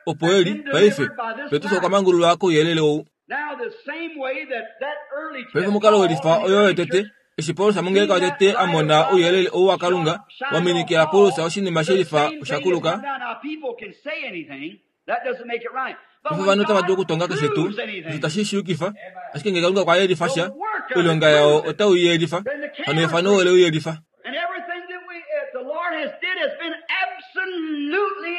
opo eli, paife, Petrus okwa mangululwa kouyelele ou. Now, the same way that that early Paife omukalo welifa oyo yotete, eshi Paulus mongeleka yotete a mona ouyelele ou waKalunga, wa minikila Paulus oshinima shelifa osha kuluka. Now, people can say anything. That doesn't make it right. But Paife when ovanhu otava dulu God okutonga keshe tuu, proves anything, osho tashi shi yukifa, ashike ngee Kalunga okwa yelifa sha, oilonga yao otau i yelifa, hano efano ole u yelifa. and everything that we, uh, the Lord has did has been absolutely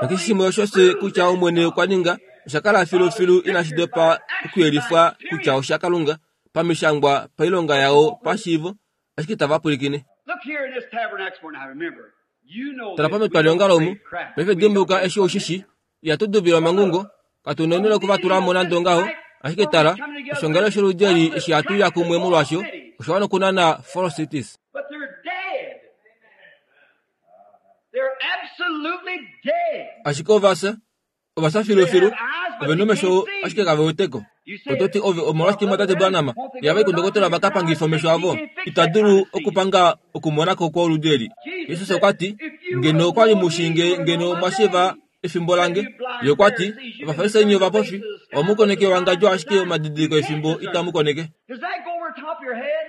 Nakeshe infallibly shimwe osho se kutya Omwene okwa ninga, osha kala filufilu inashi dopa okuyelifwa kutya osha Kalunga, pamishangwa, pailonga yao, pashiivo, ashike itava pwilikine. Look here in this tabernacle. Now remember, you know Tala this. We pametwali don't ongalo omu, say crap. paife We dimbuka don't eshi oshishi, ihatu dubila omangungo, katu nonile okuvatula mo nande ongaho, ashike tala, oshongalo sholudi eli eshi hatu ya kumwe molwasho, osha wana okunana Four Cities. But they're dead. They're absolutely dead. Ashike ovafya, ovafya filufilu, ove nomesho ashike kave weteko. Ototi ove omolwashike mwatate Branham, ihava i kundokotola va ka pangife omesho avo, ita dulu okupanga okumonako kwoludi eli. Jesus okwa ti, ngeno okwali mushinge ngeno mwa shiiva efimbo lange. Ye okwa ti, Ovafarisai nye ovapofi, ohamu koneke ewangadjo ashike omadidiliko efimbo itamu koneke. Does that go over top of your head?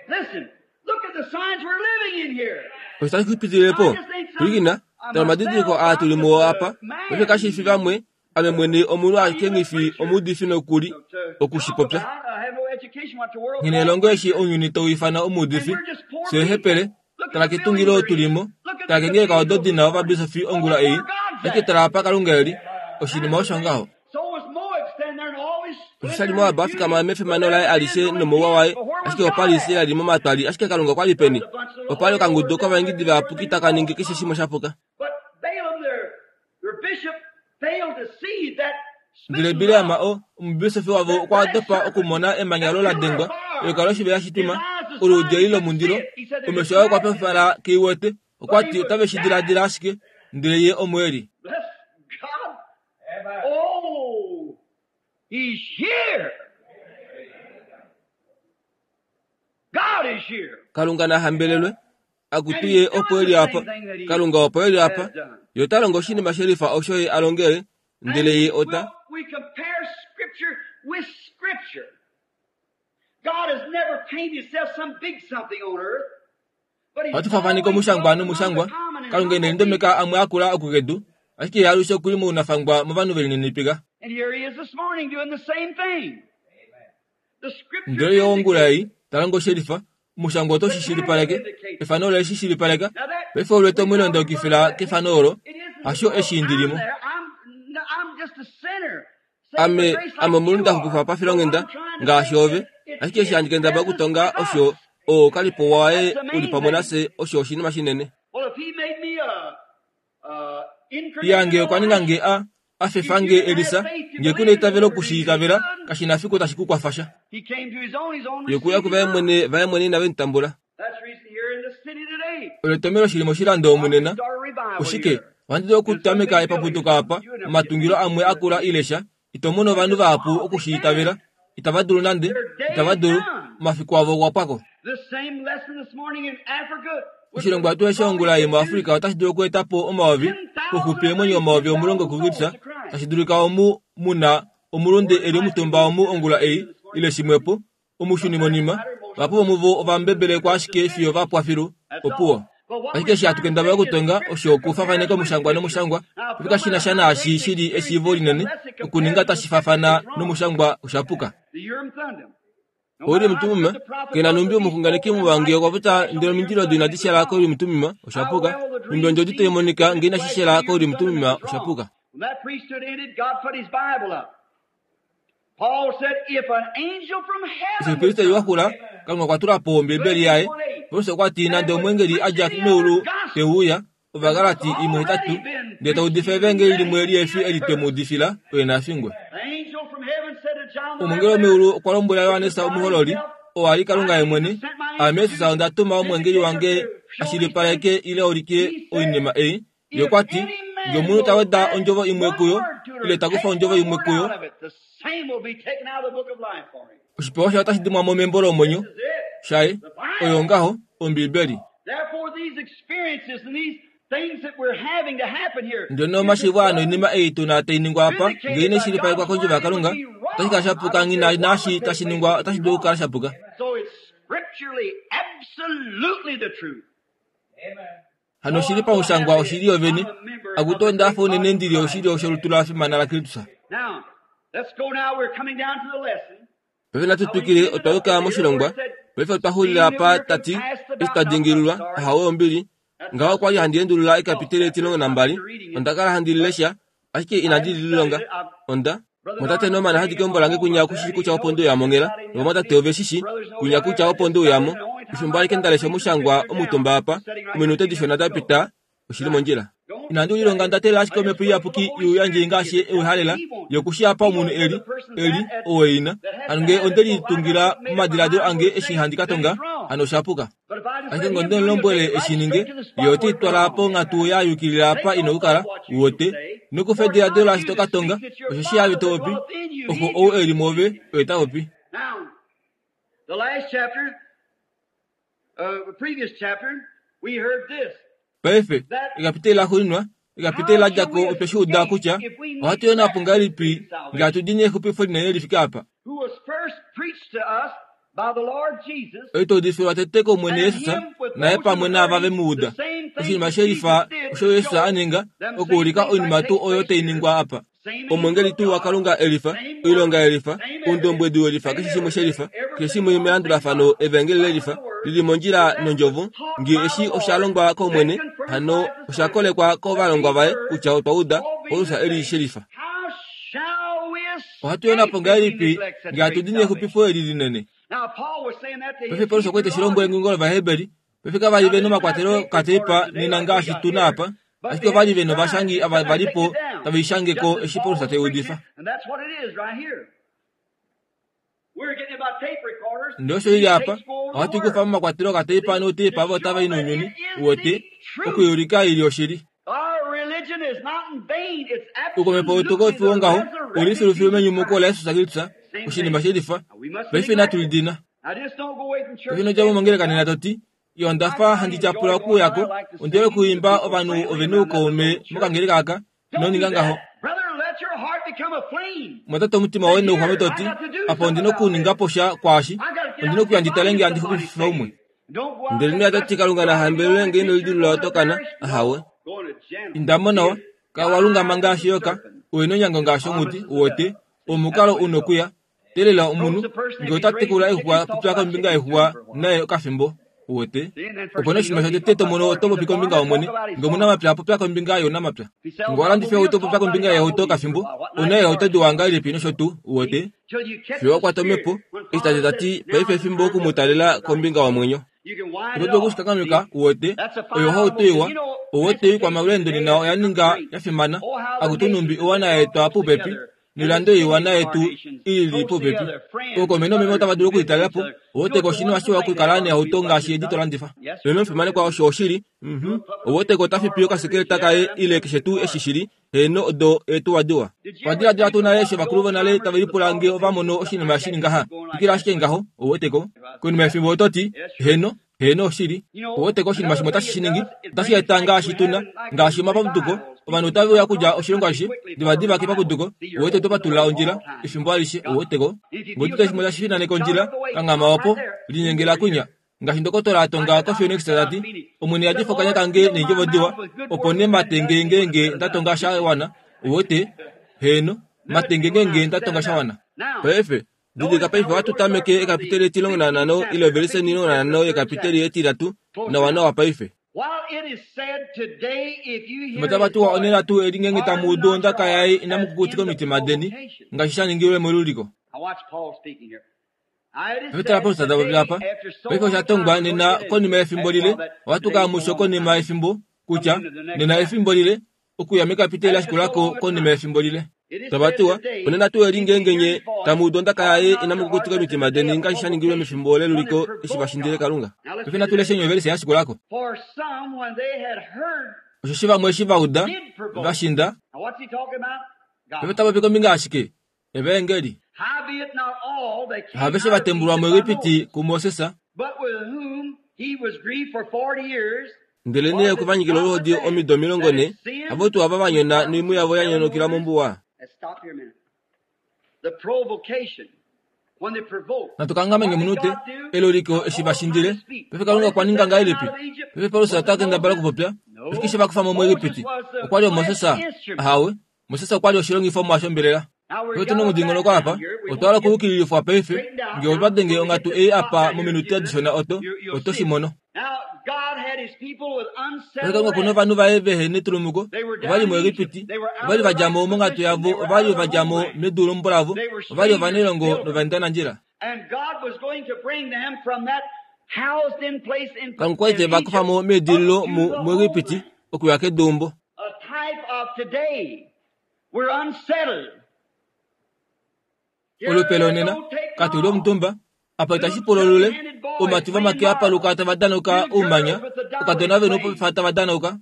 Listen, look at the signs we're living in here. Osho tashi kupitililepo, pwilikina, tala omadidiliko aa tuli muo apa, paife kashifi vamwe, ame mwene omunhu ashike nghifi omuudifi nokuli okushipopya. I have no education what the world Nghina elongo eshi ounyuni tau ifana omuudifi, fye hepele, tala ketungilo tulimo, tala kengeleka odo dina ovabisofi ongula ei, ashike tala apa Kalunga eli, oshinima osho ngaho. So was Moab standing there and all his Osho sha li Moab a fikama mefimano laye alishe nomouwa waye, ashike opa li se ali momatwali, ashike Kalunga okwa li peni? Opa li okangudu kovaengidi vayapuki taka ningi keshe shimwe sha puka. But Balaam, their, their bishop, failed to see that Ndele Bileam o omubisofi wavo okwa dopa okumona emanya olo la dengwa, eyoka loshivela shitwima, oluudi eli lomundilo, omesho aye okwa pefala keiwete, okwa ti otave shi diladila ashike, ndele ye omo eli. Bless God. Oh, he's here. God is here. Kalunga na hambelelwe, akutu ye opo eli apa, Kalunga opo eli apa, ye ota longo oshinima shelifa osho ye a longele, ndele ye ota Well, we compare Scripture with Scripture. God has never painted himself some big something on earth. But he's ohatu fafaneka omushangwa nomushangwa, Kalunga ine lindomeka amwe akula okukedu, ashike ye alushe okuli mounafangwa movanhu velininipika. And here he is this morning doing the same thing. The Scripture Ndele ye ongula ei, ta longo shelifa, omushangwa oto shi shilipaleke, efano ole shi shilipaleka, paife olwete omwilondokifila kefano olo, hasho eshi ndilimo. I'm there. I'm, no, I'm just a sinner. Ame, ame omulunde ndaxupifwa pafilonghenda, ngaashi ove, ashike eshi handi kendabala okutonga osho oo kalipo waye uli pamwe nafye osho oshinima shinene. Well, if he made me a, a Iyange okwa ninga nge a, a fefa nge Elisa, nge kuna eitavelo okushiitavela, kashina fiku tashi ku kwafa sha. He came to his own, his own Ye okuya kuvaye mwene, vaye mwene inave mu tambula. That's the reason here in the city today. Oletomelo shili moshilando omunena, Start a revival oshike, here. ohandi dulu okutameka epaputuko apa, omatungilo amwe akula ile sha, ito mono ovanhu vahapu okushiitavela, itava dulu nande, itava dulu, omafiku avo okwa pwako. This same lesson this morning in Africa would Oshilongwa tuu eshi ongula ei muAfrika otashi dulu okweeta po omayovi, poxupi eemwenyo omayovi omulongo kuKristus, tashi dulika omu muna omulunde eli omutumba omu ongula ei, ile shimwepo, omushunimonima, vahapu vomuvo ovambebelekwa ashike fiyo va pwa filu, opuwo. Ashike eshi hatu kendabala okutonga osho okufafaneka omushangwa nomushangwa, opo kashi na sha naashi shili eshiivo linene okuninga tashi faafana nomushangwa oshapuka. Ourim Tumim kena numbi omuxunganeki muwange okwa popya ndele omindilo odo inadi shela kOurim Tumim oshapuka, numbi ondjodi tai monika ngee inashi shela kOurim Tumim oshapuka. Eshi oupristeli waxula, Kalunga okwa tula po Ombibeli yaye. Paulus okwa ti nande omweengeli a dja meulu te uya, Ovagalati imwe hetatu, ndele ta udifa evangeli limwe lihefi eli twe mu udifila, oye na fingwe. Omweengeli womeulu okwa lombwela Johannes omuhololi, oo a li Kalunga ye mwene, Aame Jesus onda tuma omweengeli wange a shilipaleke ile ulike oinima ei. Ye okwa ti, ngee omunhu ta weda ondjovo imwe kuyo, ile ta kufa ondjovo imwe kuyo, oshipewa shaye otashi dimwa mo membo lomwenyo shaye, oyo ngaho, Ombibeli. Ndele omashiivo aa noinima ei tu na tai ningwa apa, ngee inai shilipalekwa kondjovo yaKalunga, otashi kala shapuka nghi naashi tashi ningwa otashi dulu okukala shapuka. Hano oshili pamushangwa oshili yovene, akutu onda hafa unene ndi li oshilyo sholutu la fimana laKristus. Paife natu twikile, otwa yuka moshilongwa. Paife otwa xulila apa ta ti, eshi twa dingililwa, ahawe ombili. Ngaho okwa li handi endulula ekapiteli etilongo nambali, onda kala handi lilesha, ashike inandi lililonga. Onda Mwatate Norman hadi keumbo lange kwinya okushi kutya opo nde uya monghela, novamwatate ove shi shi, kwinya kutya opo nde uya mo. Efimbo alike nda lesha omushangwa omutumba apa, ominute dishona da pita, oshili mondjila. Inandi ulilonga nda teelela ashike Omhepo Iyapuki i uyandje ngaashi e uhalela, ye okushi apa omunhu e li, e li, ou e ina. Hano ngee onde litungila momadiladilo ange eshi handi ka tonga, hano osha puka. Ashike ngee onde mu lombwele e shi ninge, ye ote i twala ponghatu ya yukilila apa ina okukala, uwete. Nokufa ediladilo laashi to ka tonga, osheshi haave to popi, oxo ou e li mwoove oye ta popi. The last chapter, uh, the previous chapter, we heard this. Paife, ekapiteli laxuuninwa, ekapiteli la dja ko otwe shi uda kutya ohatu yona po ngahelipi ngee hatu dini exupifo linene li fike apa. Who was first preached to us by the Lord Jesus, Oi twa udifilwa tete kOmwene and Jesus, him with naye those who pamwe naava heard ve him, mu the uda. same thing Oshinima that she lifa Jesus did osho to Jesus show a ninga, them same okuulika things oinima that tuu take oyo place tai here. ningwa apa. Same Omwengeli angel of tuu God, waKalunga e lifa, same oilonga work, ye lifa, same everything, oundombwedi we lifa, same keshe shimwe she everything, lifa, keshe everything shimwe on the same melandulafano, line. evangeli le Right with lifa, the word, lili mondjila that was nondjovo, taught ngee by eshi the osha Lord, longwa then kOmwene, confirmed hano by his osha disciples, kolekwa that kovalongwa we vaye heard, kutya otwa uda, all being Paulus the e li same. she lifa. How shall we Ohatu yona escape po if we ngahelipi neglect such ngee hatu great dini salvation? exupifo eli linene? Now, Paul was saying that to Paife his Paulus okwa Hebrew li teshi lombwele audience. ngengo lovaheberi, paife kava li Now, ve they didn't have nomakwatelo tape kateipa recorders today nena like we ngaashi got tu na here, apa, but ashike they ova had li ve novashangi scribes that ava said, va "Now li take po it down," tave i shange just ko as eshi Paul Paulus was te preaching, udifa. and that's what it is right here. We're getting about tape recorders. Ndele osho ili These apa, tapes go over the ohatu kufa word. momakwatelo kateipa See, nouteipa to avo otava show i that nounyuni, it is uwete, the truth. okuiulika ili oshili. Our religion is not in vain. It's Ukomepo absolutely utukofi the wongaho, uli resurrected filufilu Jesus menyumuko Christ. laJesus Kristus, Same oshinima thing. she lifa. Now, we mustn't Paife inatu neglect it. lidina. Now, just don't go away from church Paife inodja mo today and say, mongeleka nena well, to ti, iyo onda I fa kind handi of tyapula enjoy going okuuya there. ko, I like to onde sing. The okuimba people ovanhu friendly ove around that little noukaume old church. mokangeleka aka, Don't ino do ninga ngaho. that. Brother, let your heart become a flame. Mwatate omutima Say, woye nouxwame here, to I ti, got to do apa something ondina about okuninga this. po sha kwaashi, I got to get ondina out and okuya ndi tale find ngee handi somebody xupifa umwe. saved. Don't go out Ndele there noya tati cussing. Kalunga Don't na be hambelelwe going ngee to ino preacher, lidilula going to otokana, perish. ahawe. No. Going to general. Inda mo nawa, He is kala walungama wise as ngaashi a eyoka, serpent, uye nonyango ngaashi onghuti, harmless as a uwete, dove. See, that's omukalo the way u it goes. nokuya. Teelela omunhu, Approach the person ngee if ota he's raising tekula chickens, exuwa, talk popya about kombinga chickens to yexuwa him for a while. naye okafimbo, uwete. See, and then Opo first thing you noshinima know, you shotete talk to about mono farm. oto He's popi a kombinga farmer, yomwene, talk about his ngee farm. omunamapya popya kombinga younamapya. If he sells Ngee owalandifa automobiles, ohauto talk popya about kombinga his yeehauto automobiles for a okafimbo, while. What una nice eehauto cars diwa he got. ngahelipi nosho tuu, uwete. See, till you catch Fiyo the wakwata spirit. omhepo, When eshi tate Paul ta says, ti, now paife is the efimbo time oku to mu talela approach kombinga Zion. womwenyo. You can wind Oto it dulu off. okushikankameka, See, uwete, that's a oyo fine ohauto automobile. iwa, You know, uwete oikwamaulendo transportation nena today has oya become ninga great. ya fimana, Oh, how the akutu numbi nations have owana brought yaetwa close popepi, together, and the noilando iiwana cities of our yetu nations ili close popepi. together, friends, Ookome nomeme brothers, otava and dulu visiting each okulitalela po, other. You uwete know, ko it's a oshinima wonderful shiwa thing to okukala have nehauto automobiles like ngaashi this edi to done. landifa. Yes, sir, Leno sure omufimanekwa is. osho oshili, mhm, Do a public uwete ko ota car, fipi whatever it okasekeleta is. kaye Yeah, them ile things keshe are tuu eshi cars. shili, heeno odo eetuwa diwa. Did you ever Wadiladila think tuu of nale what eshi the ovakulu old vonale timers tave would have lipula thought ngee of ova thinking mono something oshinima like shili that ngaha, just going like twikila that? ashike ngaho, uwete ko. If I Konima said that, yefimbo oto ti, yes, sure. heeno, heeno oshili, You know, uwete ko oshinima another shimwe thing otashi it shi ningi, does, it otashi brings eta like ngaashi we're tu na, having like ngaashi these omapapuduko, revivals. ovanhu People otave come uya okudja across the oshilongo country ashishe, quickly for a divadiva revival. kepapuduko, See, you're uwete oto open the patulula way ondjila, all the time. efimbo alishe, God. uwete ko. If you Ngee feel otuta shimwe something, tashi finaneke shout ondjila, up the way, kanghama stop opo, right there. Move linyengela over kwinya, here. Ngaashi ndokotola atonga koPhoenix tati, Omwene yadifa okanya kange neendjovo diwa, opo ne matenge ngeenge nda tonga sha wana. Uwete? Heeno, matenge ngeenge nda tonga sha wana. Paife, didilika paife ohatu tameke ekapiteli etilongo nanhano ile ovelise omilongo nanhano yekapiteli etitatu nawanawa paife. Fimbo tava tuwa onena tuu eli ngeenge tamu udu ondaka yaye inamu kukutika omitima deni, ngaashi sha ningilwe meluliko. Paife tala Paulus ta popi apa. Paife osha tongwa nena konima yefimbo lile, ohatu ka musho konima yefimbo, kutya, nena efimbo lile, okuya mekapiteli lashikulako konima yefimbo lile. Tava tuwa, onena tuu eli ngeenge nye tamu udu ondaka yaye inamu kukutika omitima deni ngaashi sha ningilwe mefimbo leluliko eshi vashindile Kalunga. Paife natu leshe ovelise yashikulako. Osheshi vamwe eshi va uda, va shinda. Paife ta popi kombinga ashike? Evaengeli. Haveshe vatembulwa muEgipiti kuMoses, ndelenee okwe va nyikila oluhodi omido omilongo nhe, havo tuu ava va nyona noimhu yavo ya nyonukila mombuwa. Natu kanghame omunute, eluliko eshi vashindile. Paife Kalunga okwa ninga ngahelipi? Paife Paulus ota kendabala okupopya, oshike she va kufa mo muEgipiti? Okwa li Moses? Ahawe, Moses okwa li oshilongifomwa shombelela. Paife otuna omudingonoko apa, otwa hala okuyukililifwa paife, ngee otwa denge onghatu ei apa mominute dishona oto, oto shi mono. Paife Kalunga okuna ovanhu vaye vehe netulumuko, ova li muEgipiti, ova li va dja mo monghatu yavo, ova li va dja mo medu leumbo lavo, ova li ovanailongo novaendanandjila. Kalunga okwa li te va kufa mo meedililo muEgipiti okuya keduumbo. Olupe lonena, katu li omutumba, apa itashi pula olule, oumati vomake apaluka tava danauka oumanya, oukadona veni oupofi tava danauka.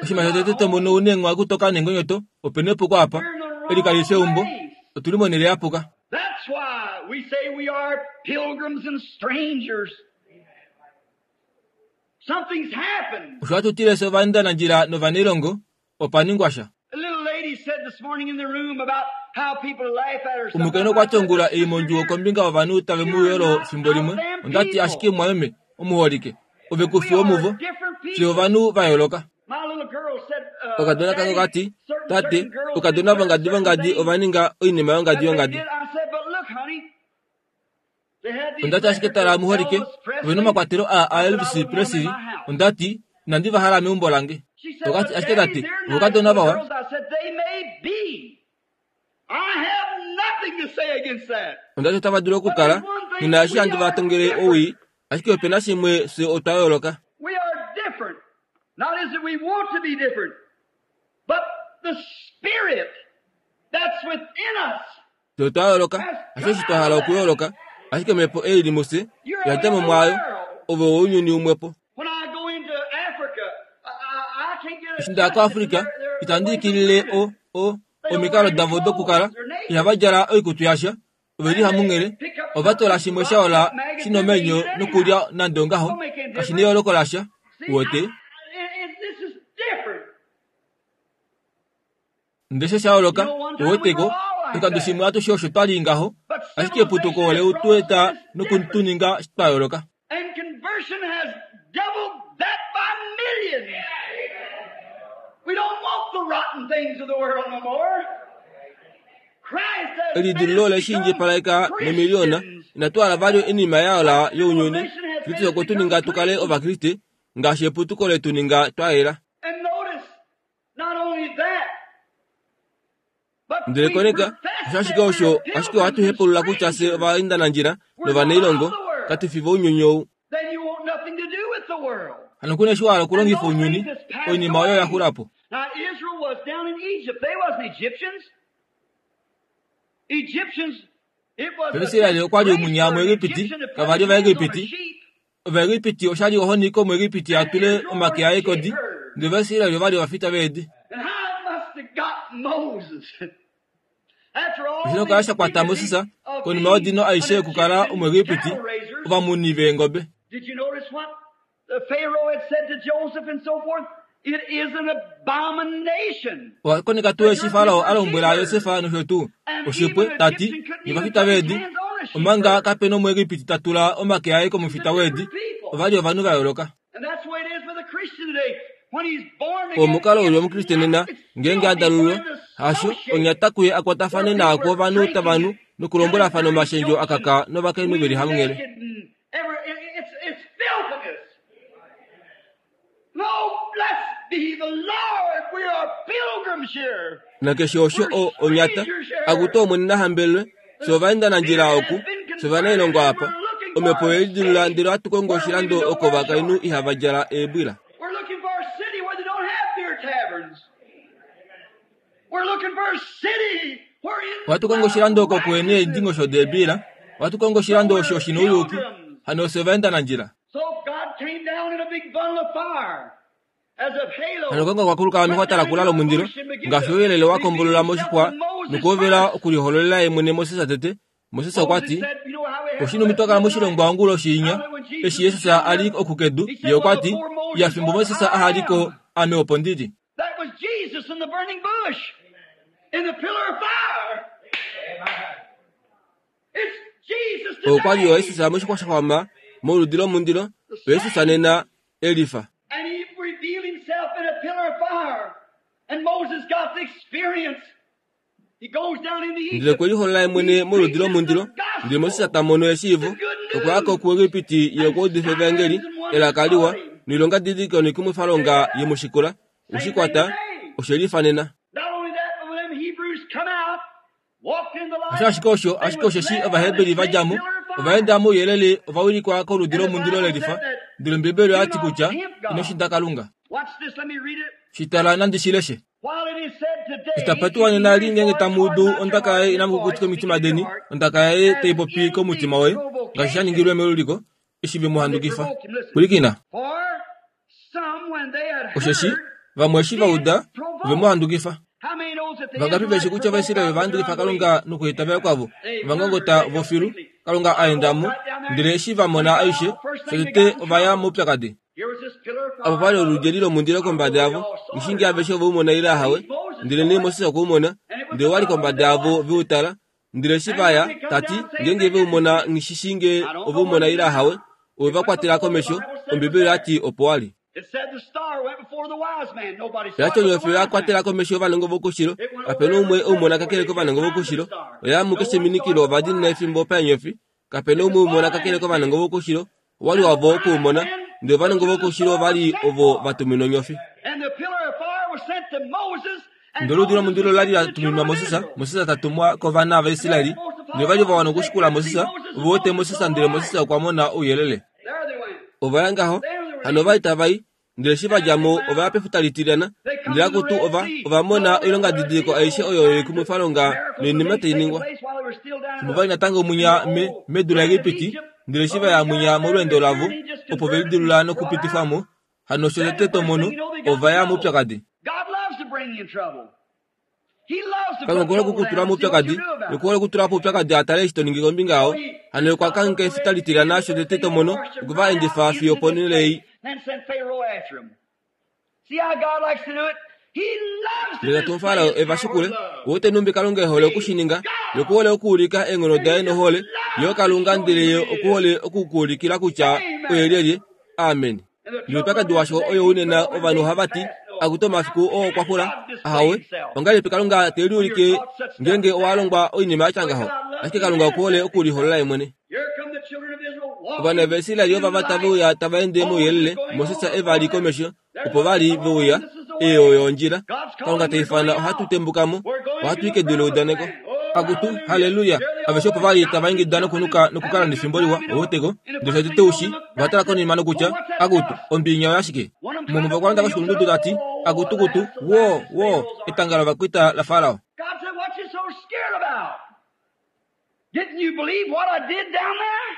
Oshinima shotete tomono ouna eenghwa kutoka neengonyoto, opena epuko apa, eli kali fi eumbo, otuli monhele yapuka. Osho hatu tile fye ovaendanandjila novanailongo, opa ningwa sha. Omukainhu okwa ti ongula ei mondjuwo kombinga yovanhu tave mu yolo fimbo limwe, onda ti ashike mumwameme, omuholike, ove ku fi womuvo, fye ovanhu va yooloka. Okakadona kange okati, tate, oukadona vongadi vongadi ova ninga oinima yongadi yongadi. Onda ti ashike tala muholike, ove na omakwatelo aa aElvis Presley, onda ti, inandi va hala meumbo lange. Okati ashike tate, oukadona vawa. Onda ti otava dulu okukala, nghi na eshi handi va tongele owii, ashike ope na shimwe fye otwa yooloka. Fye otwa yooloka, hasho eshi twa hala okuyooloka, ashike omhepo ei li mufye, oya dja mo mwaayo, ove wounyuni umwepo. Eshi nda ya koAfrica, itandi ikilile o, o, omikalo davo dokukala, ihava djala oikutu yasha, ove li hamunghele, ova tola shimwe shaola shina omwenyo nokulya nande ongaho, kashi neyooloko lasha, uwete. Ndele sho sha yooloka, uweteko, oshikando shimwe atushe osho twa li ngaho, ashike eputuko ole tu eta nokutuninga twa yooloka. Elidilululo ole shi indjipaleka nomiliona, inatu hala vali oinima yaola younyuni. Kristus okwe tu ninga tu kale Ovakriste, ngaashi eputuko letu ninga twa yela. Ndele koneka, osho ashike osho, ashike ohatu hepaulula kutya fye ovaendanandjila novanailongo, katu fi vounyuni ou. Hano ku na eshi wa hala okulongifa ounyuni, oinima oyo oya xula po. Paife Israel okwa li omunya muEgipiti, kava li Ovaegipiti. Ovaegipiti osha li ohoni kOmuegipiti a tule omake aye kodi, ndele Ovaisrael ova li ovafita veedi. Oshi nokukala sha kwata Moses konima yodino aishe yokukala Omuegipiti, ovamuni veengobe. It is an abomination. Owakoneka tuu eshi Farao a lombwela Josefa nosho tuu oshipwe tati novafita veedi omanga kapena Omuegipiti ta tula omake aye komufita weedi ova li ovanhu va yooloka. And that's the way it is with a Christian today. When he's born again, Omukalo uli omukriste nena ngeenge a dalulwa hasho onyata kuye akwatafane naako ovanhu tavanhu nokulombwelafana omashendjo akaka novakainhu veli hamunghele. naked and every, it- it's, it's filthiness. No, blessed be the Lord. We are pilgrims here. Nakeshe osho o onyata akuto omwene nahambelelwe sovaenda nandjila oku sovanailongo apa omhepo yelidilula ndele ohatu oshilando oko ovakainhu ihava djala eebwila. We're looking for a city where they don't have beer taverns. We're looking for a city where in Ohatu kongo oshilando oko kuhena eendingosho deebila ohatu kongo oshilando osho shina ouyuki hano sovaenda nandjila. So God came down in a big bundle of fire as a halo. Hano kongo kwakuluka omixwata lakula lomundilo ngaashi ouyelele wa kombolola moshixwa nokuhovela okulihololela ye mwene Moses tete. Moses okwa Moses ti said, you know how we had oshinumi twakala moshilongo angulo oshiinya eshi Jesus a li okukedu ye okwa ti ya fimbo Moses ahaliko ame opo ndili. That was Jesus in the burning bush, in the pillar of fire. It's Jesus Okwa li yo today. Jesus moshixwa shaxwama moludi lomundilo Jesus nena elifa. And he revealed himself in a pillar of fire. And Moses got the experience. He goes down into Ndele Egypt. okwe liholola ye mwene moludi lomundilo ndele Moses ta mono eshiivo okwa ya ko kuEgipiti ye okwa udifa evangeli elaka liwa noilonga didiliko noikumwifalonga ye mushikula oshikwata oshelifa nena. Not only that, but when them Hebrews come out, walked in the light, Osho ashike osho ashike osheshi Ovaheberi va dja mo ovaenda mouyelele ovawilikwa koludi lomundilo lelifa ndele Ombibeli oyati kutya ino shinda Kalunga. Watch this, let me read it. Shitala nandi shileshe. While it is said today, Itapatiwa nena li ngeenge tamu udu ondaka yaye inamu kukutika omitima deni ondaka yaye tai popi komutima woye ngaashi sha ningilwe meluliko eshi ve mu handukifa. Pwilikina For some, when they had osheshi heard, vamwe eshi va uda ove mu handukifa. how many knows that the Vangapi veshi kutya Ovaisraeli va handukifa Kalunga nokuitavela kwavo ovangongota vofilu Kalunga a enda mo ndele eshi va mona aishe shotete ova ya moupyakadi. Here was this pillar of fire. Apo pali oludjeli lomundilo kombada yavo ngishingi aveshe ove umona ile ahawe ndele nee Moses okwe umona ndele wali kombada yavo veutala ndele eshi vaya tati ngeenge veumona ngishishinge ove umona ile ahawe ove va kwatela komesho Ombibeli oyati opo wali. It said the star went before the wise man. Nobody saw Oyati it but the onyofi wise oya kwatela man. komesho ovanongo vokushilo kapena umwe oumona kakele kovanongo vokushilo oya mukeshe minikilo ovadinina efimbo paenyofi kapena umwe umona kakele kovanongo vokushilo owali wavo okuumona ndele ovanongo vokushilo ovali ovo vatuminwa onyofi. And the pillar of fire was sent to Moses. And Ndele oludi Moses lomundilo was lali sent la to the tuminwa children of Moses, Israel. Moses tatumwa kovana vaIsraeli ndele vali va wana okushikula Moses ove wete Moses ndele Moses okwa mona ouyelele. There they went. Ova ya ngaho hano ova li tava i ndele eshi va dja mo ova ya pefuta litilyana ndele akutu ova ova mona oilonga didiliko aishe oyo yoikumwifalonga noinima tai ningwa. Fimbo vali natango munya me, medu laEgipiti ndele eshi va ya munya molweendo lavo opo ve lidilula nokupitifwa mo hano osho tete to mono ova ya moupyakadi. God loves to bring you in trouble. He loves to Kalunga put okuhole trouble okukutula down and see what moupyakadi you do about it. okuhole okutula po oupyakadi atale eshi to ningi kombinga yawo hano okwa kangheka efuta litilyana osho tete to mono okwe va endifa fiyo oponhele ei. Then sent Pharaoh after him. See how God likes to do it? He loves to Ndele tatu display Farao his eva power shikule of love. wote numbi Kalunga ehole okushininga yokuhole okuulika eenghono daye nohole yo Kalunga ndele ye okuhole okukuulikila kutya oye lyelye. Amen. Noupyakadi washo oyo unena ovanhu ohava ti akuti omafiku oo okwa xula ahawe ongahelipi Kalunga te liulike ngeenge owa longwa oinima ya tya ngaho ashike Kalunga okuhole okuliholola ye mwene. Here come the children of Israel walking Ovana vaIsraeli ovava tave uya tava ende mouyelele Moses eva li komesho opo vali veuya eyo oyo ondjila Kalunga ta ifana ohatu tembuka mo ohatu i kedu leudaneko akutu haleluya aveshe opo vali tava ingida nokunuka nokukala nefimbo liwa oweteko ndele shotete ushi ovatala konima nokutya akutu ombinya oyashike mumwe vakwalonda koshikulundudu tati akutukutu wo wo etanga lovakwita la Farao. God said, what you so scared about? Didn't you believe what I did down there?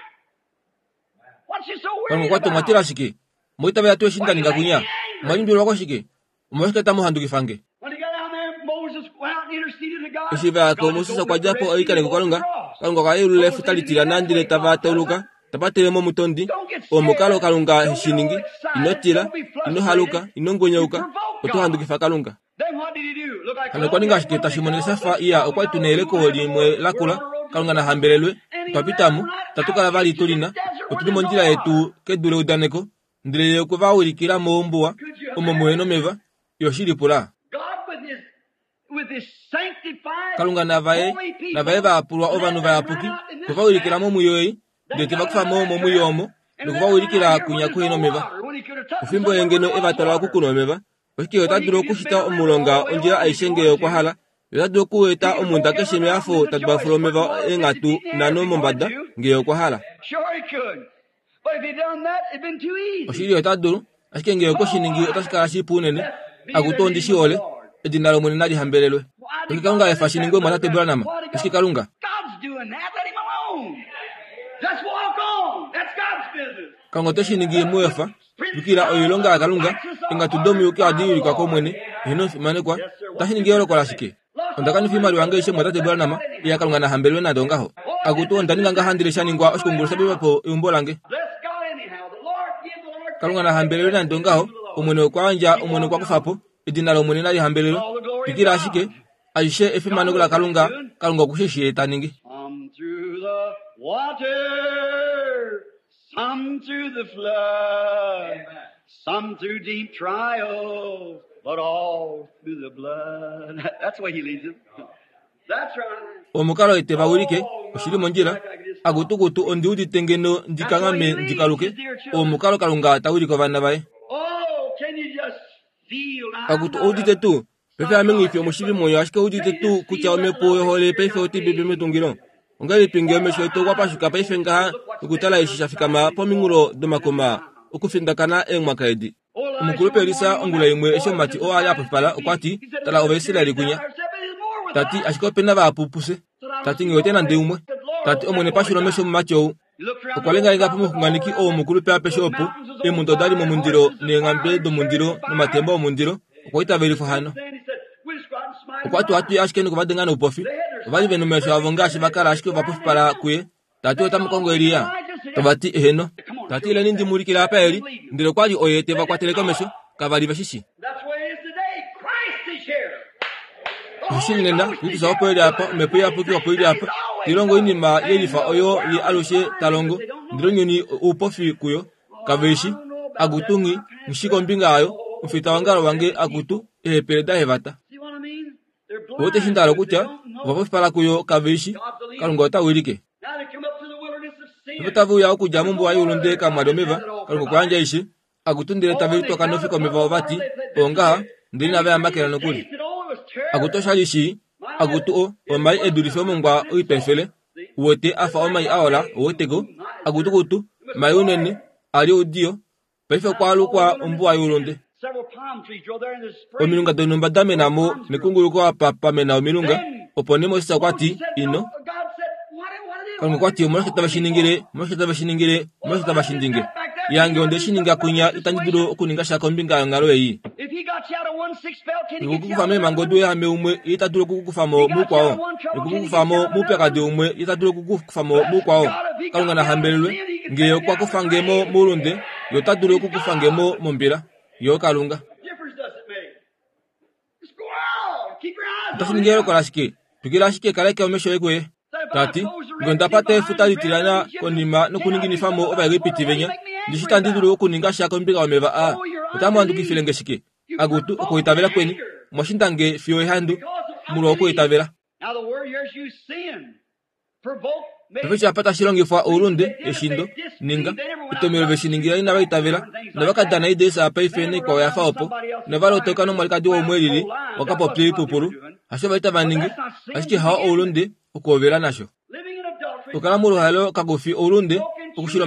What you so Kalunga worried okwa ti about? omwatila shike moitavela tuu eshi nda ninga kunya omwalimbililwa koshike omolwashike tamu handukifa nge. When he got down there, Moses went out and interceded to God. Eshi va ya ko God Moses opened okwa the dja po Red Sea oikaneko and Kalunga crossed. Kalunga okwa yeulula efuta litilyana ndele tava tauluka Tapatele momutondi. Omukalo Kalunga heshiningi. Ino tila, ino haluka, ino ngwenyauka, oto handukifa Kalunga. Hano okwa ninga ashike tashi monika shafa iya okwa li tu neyeleko limwe lakula, Kalunga na hambelelwe, twa pitamo, tatu kala vali tulina, otuli mondjila yetu kedu leudaneko, ndele ye okwe va wilikila mombuwa, omo muhe nomeva, yo shili pula. Kalunga navaye, navaye vaapulwa ovanhu vayapuki, okwe va wilikila momwiyo ei, ndele te va kufa mo momwiyo omo, noku va wilikila kwinya kuhe nomeva. Ofimbo ye ngeno e va twala okukunwa omeva, oshike ota dulu okushita omulonga ondjila aishe ngee okwa hala, ye ota dulu okueta omunda keshe mehafo ta dubafula omeva eenghatu nhano mombada ngee okwa hala. Oshili ota dulu, ashike ngee okwe shi ningi otashi kala shipu unene. Akutu ondi shi hole, edina lOmwene nali hambelelwe. Oshike Kalunga efa shi ningwe mwatate Branham? Oshike Kalunga? Kalunga ote shi ningi muefa. Twikila oilonga yaKalunga, eenghatu domuyuki ohadi wilikwa kOmwene, eheno fimanekwa. Otashi ningi eyooloko lashike? Onda kanifa oimaliwa yange aishe mwatate Branham, iya Kalunga na hambelelwe nande ongaho. Akutu onda ninga ngaha ndele sha ningwa oshikungulu sha pepa po eumbo lange. Kalunga na hambelelwe nande ongaho, Omwene okwa yandja, Omwene okwa kufa po, edina lOmwene nali hambelelwe. Twikila ashike, aishe efimaneko laKalunga, Kalunga oku shi shii ta ningi. Some through the flood, some through deep trials, but all through the blood. That's the way he leads them. That's right. Omukalo ete va wilike, oshili mondjila, akutukutu ondi udite ngeno ndikangame ndikaluke, omukalo Kalunga ta wilike ovana vaye. Oh, can you just feel now? Akutu oudite tuu, paife ame nghi fi omushivi mwoyo ashike oudite tuu kutya omhepo yohole paife otai pepe metungilo. Ongahelipi ngee omesho etu okwa pashuka paife ngaha nokutala eshi sha fikama pominghulo domakoma okufindakana eemwaka edi. Omukulupe Elisa ongula imwe eshi omumati oo a li a pupala okwa ti, tala Ovaisraeli kunya. Tati ashike opena vahapu pufye. Tati nghi wete nande umwe. Tati Omwene pashula omesho omumati ou. Okwa lengalenga pomuxunganeki ou mukulupe apeshe opo, eemhunda oda li momundilo neenghambe domundilo nomatemba omundilo, okwa itavelifwa hano. Okwa ti ohatu i ashike nokuvadenga noupofi. Ova li ve nomesho avo ngaashi va kala ashike ovapofipala kuye. Tati otamu kongo Elia? Tava ti eheno. Tati ileni ndi mu ulikile apa eli, ndele okwa li oye te va kwatele komesho, kava li ve shi shii. That's the way it is today. Christ is here. Oshili nena, Kristus opo eli apa, omhepo iyapuki opo ili apa. Tilongo oinima yelifa oyo ye alushe ta longo, ndele ounyuni oupofi kuyo, kave i shi. Akutu nghi, nghi shi kombinga yayo, omufita wongalo wange akutu, eehepele dahevata. See what I mean? They're Oute shi blind. nda hala They kutya, don't know. ovapofipala kuyo kave i shi, Kalunga ota wilike. Now they come up to the wilderness of sin. Ovo tave uya okudja mombuwa youlunde kamwa li omeva, Kalunga okwa yandja aishe. Akutu ndele tave litwaka nofika omeva ova ti, ongaha, ndele inava yamakela nokuli. Akutu osha li shii, akutu o, omai e dulife omongwa oitwa efele, uwete a fa omai a ola, ouweteko, akutukutu, mai unene, a li oudiyo, paife okwa alukwa ombuwa youlunde. Several palm trees grow there in the spring. Omilunga donhumba da mena mo nekunguluko apa pa mena omilunga, opo nee Moses okwa ti, ino. God said, what, what it is? Kalunga okwa ti, omolwashike tave shi ningile, omolwashike tave shi ningile, omolwashike tave shi ninge. Yange onde shi ninga kwinya itandi dulu okuninga sha kombinga yonghalo ei. If he got you out of one six spell, can he get you Okukufa out of meemhango another? douyahame umwe, ye ita dulu okukukufa mo mukwao. Okukukufa mo moupyakadi umwe, ye ita dulu okukukufa mo mukwao. Kalunga na hambelelwe, ngee okwa kufa nge mo moulunde, ye ota dulu okukufa nge mo mombila. Yo Kalunga. Difference does it make? Just go out. Keep your eyes Otashi on ningi him. eyooloko lashike? Twikila ashike kaleke omesho oye kuye. Tati, ngee onda pata efuta litilyana konima nokuninginifa mo Ovaegipiti venya, ndishi itandi dulu okuninga sha kombinga yomeva aa. Otamu handukifile nge shike? Akutu, okuitavela kweni, omwa shinda nge fiyo ehandu, molwa okuitavela. Now the word here is used sin. Provoke, make Paife apa tashi longifwa oulunde, eshindo, ninga, etomelo ve shi ningila inava itavela, inava ka dana ideesa paife naikwao ya fa opo, inava lotoka nomwalikadi waumwe elili, wakapopya oipupulu, hasho vali tava ningi, ashike hao oulunde okuhovela nasho. living in adultery. Okukala moluhaelo kakufi oulunde, okushila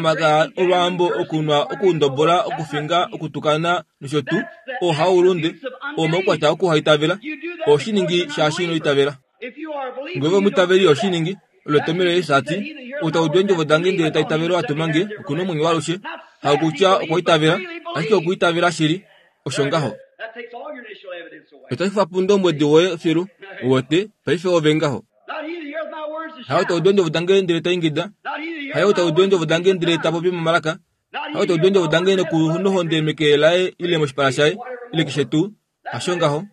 olwaambo, okunwa, okundobola, okufinga, okutukana nosho tuu, oo hao oulunde, oo omaukwatya okuhaitavela, oo shi ningi shaashi ino itavela. If you are a believer, Ngee ove omwiitaveli oshi ningi, olo etomelo Yesu a ti, ou ta udu eendjovo dange ndele ta itavele ou a tuma nge, oku na omwenyo waalushe, hakutya okwa itavela, ashike okwa itavela shili, osho ngaho. that takes all your initial evidence away. Otashi kufa po oundombwedi woye filu, uwete, paife ove ngaho. Not he that heareth my words and Hao ta shouts. udu eendjovo dange ndele ta ingida, Not he that Haye ou ta udu eendjovo dange ndele ta popi momalaka. Haye ou ta udu eendjovo dange nokunohonde meke laye ile moshipala shaye ile keshe tuu. Hasho ngaho.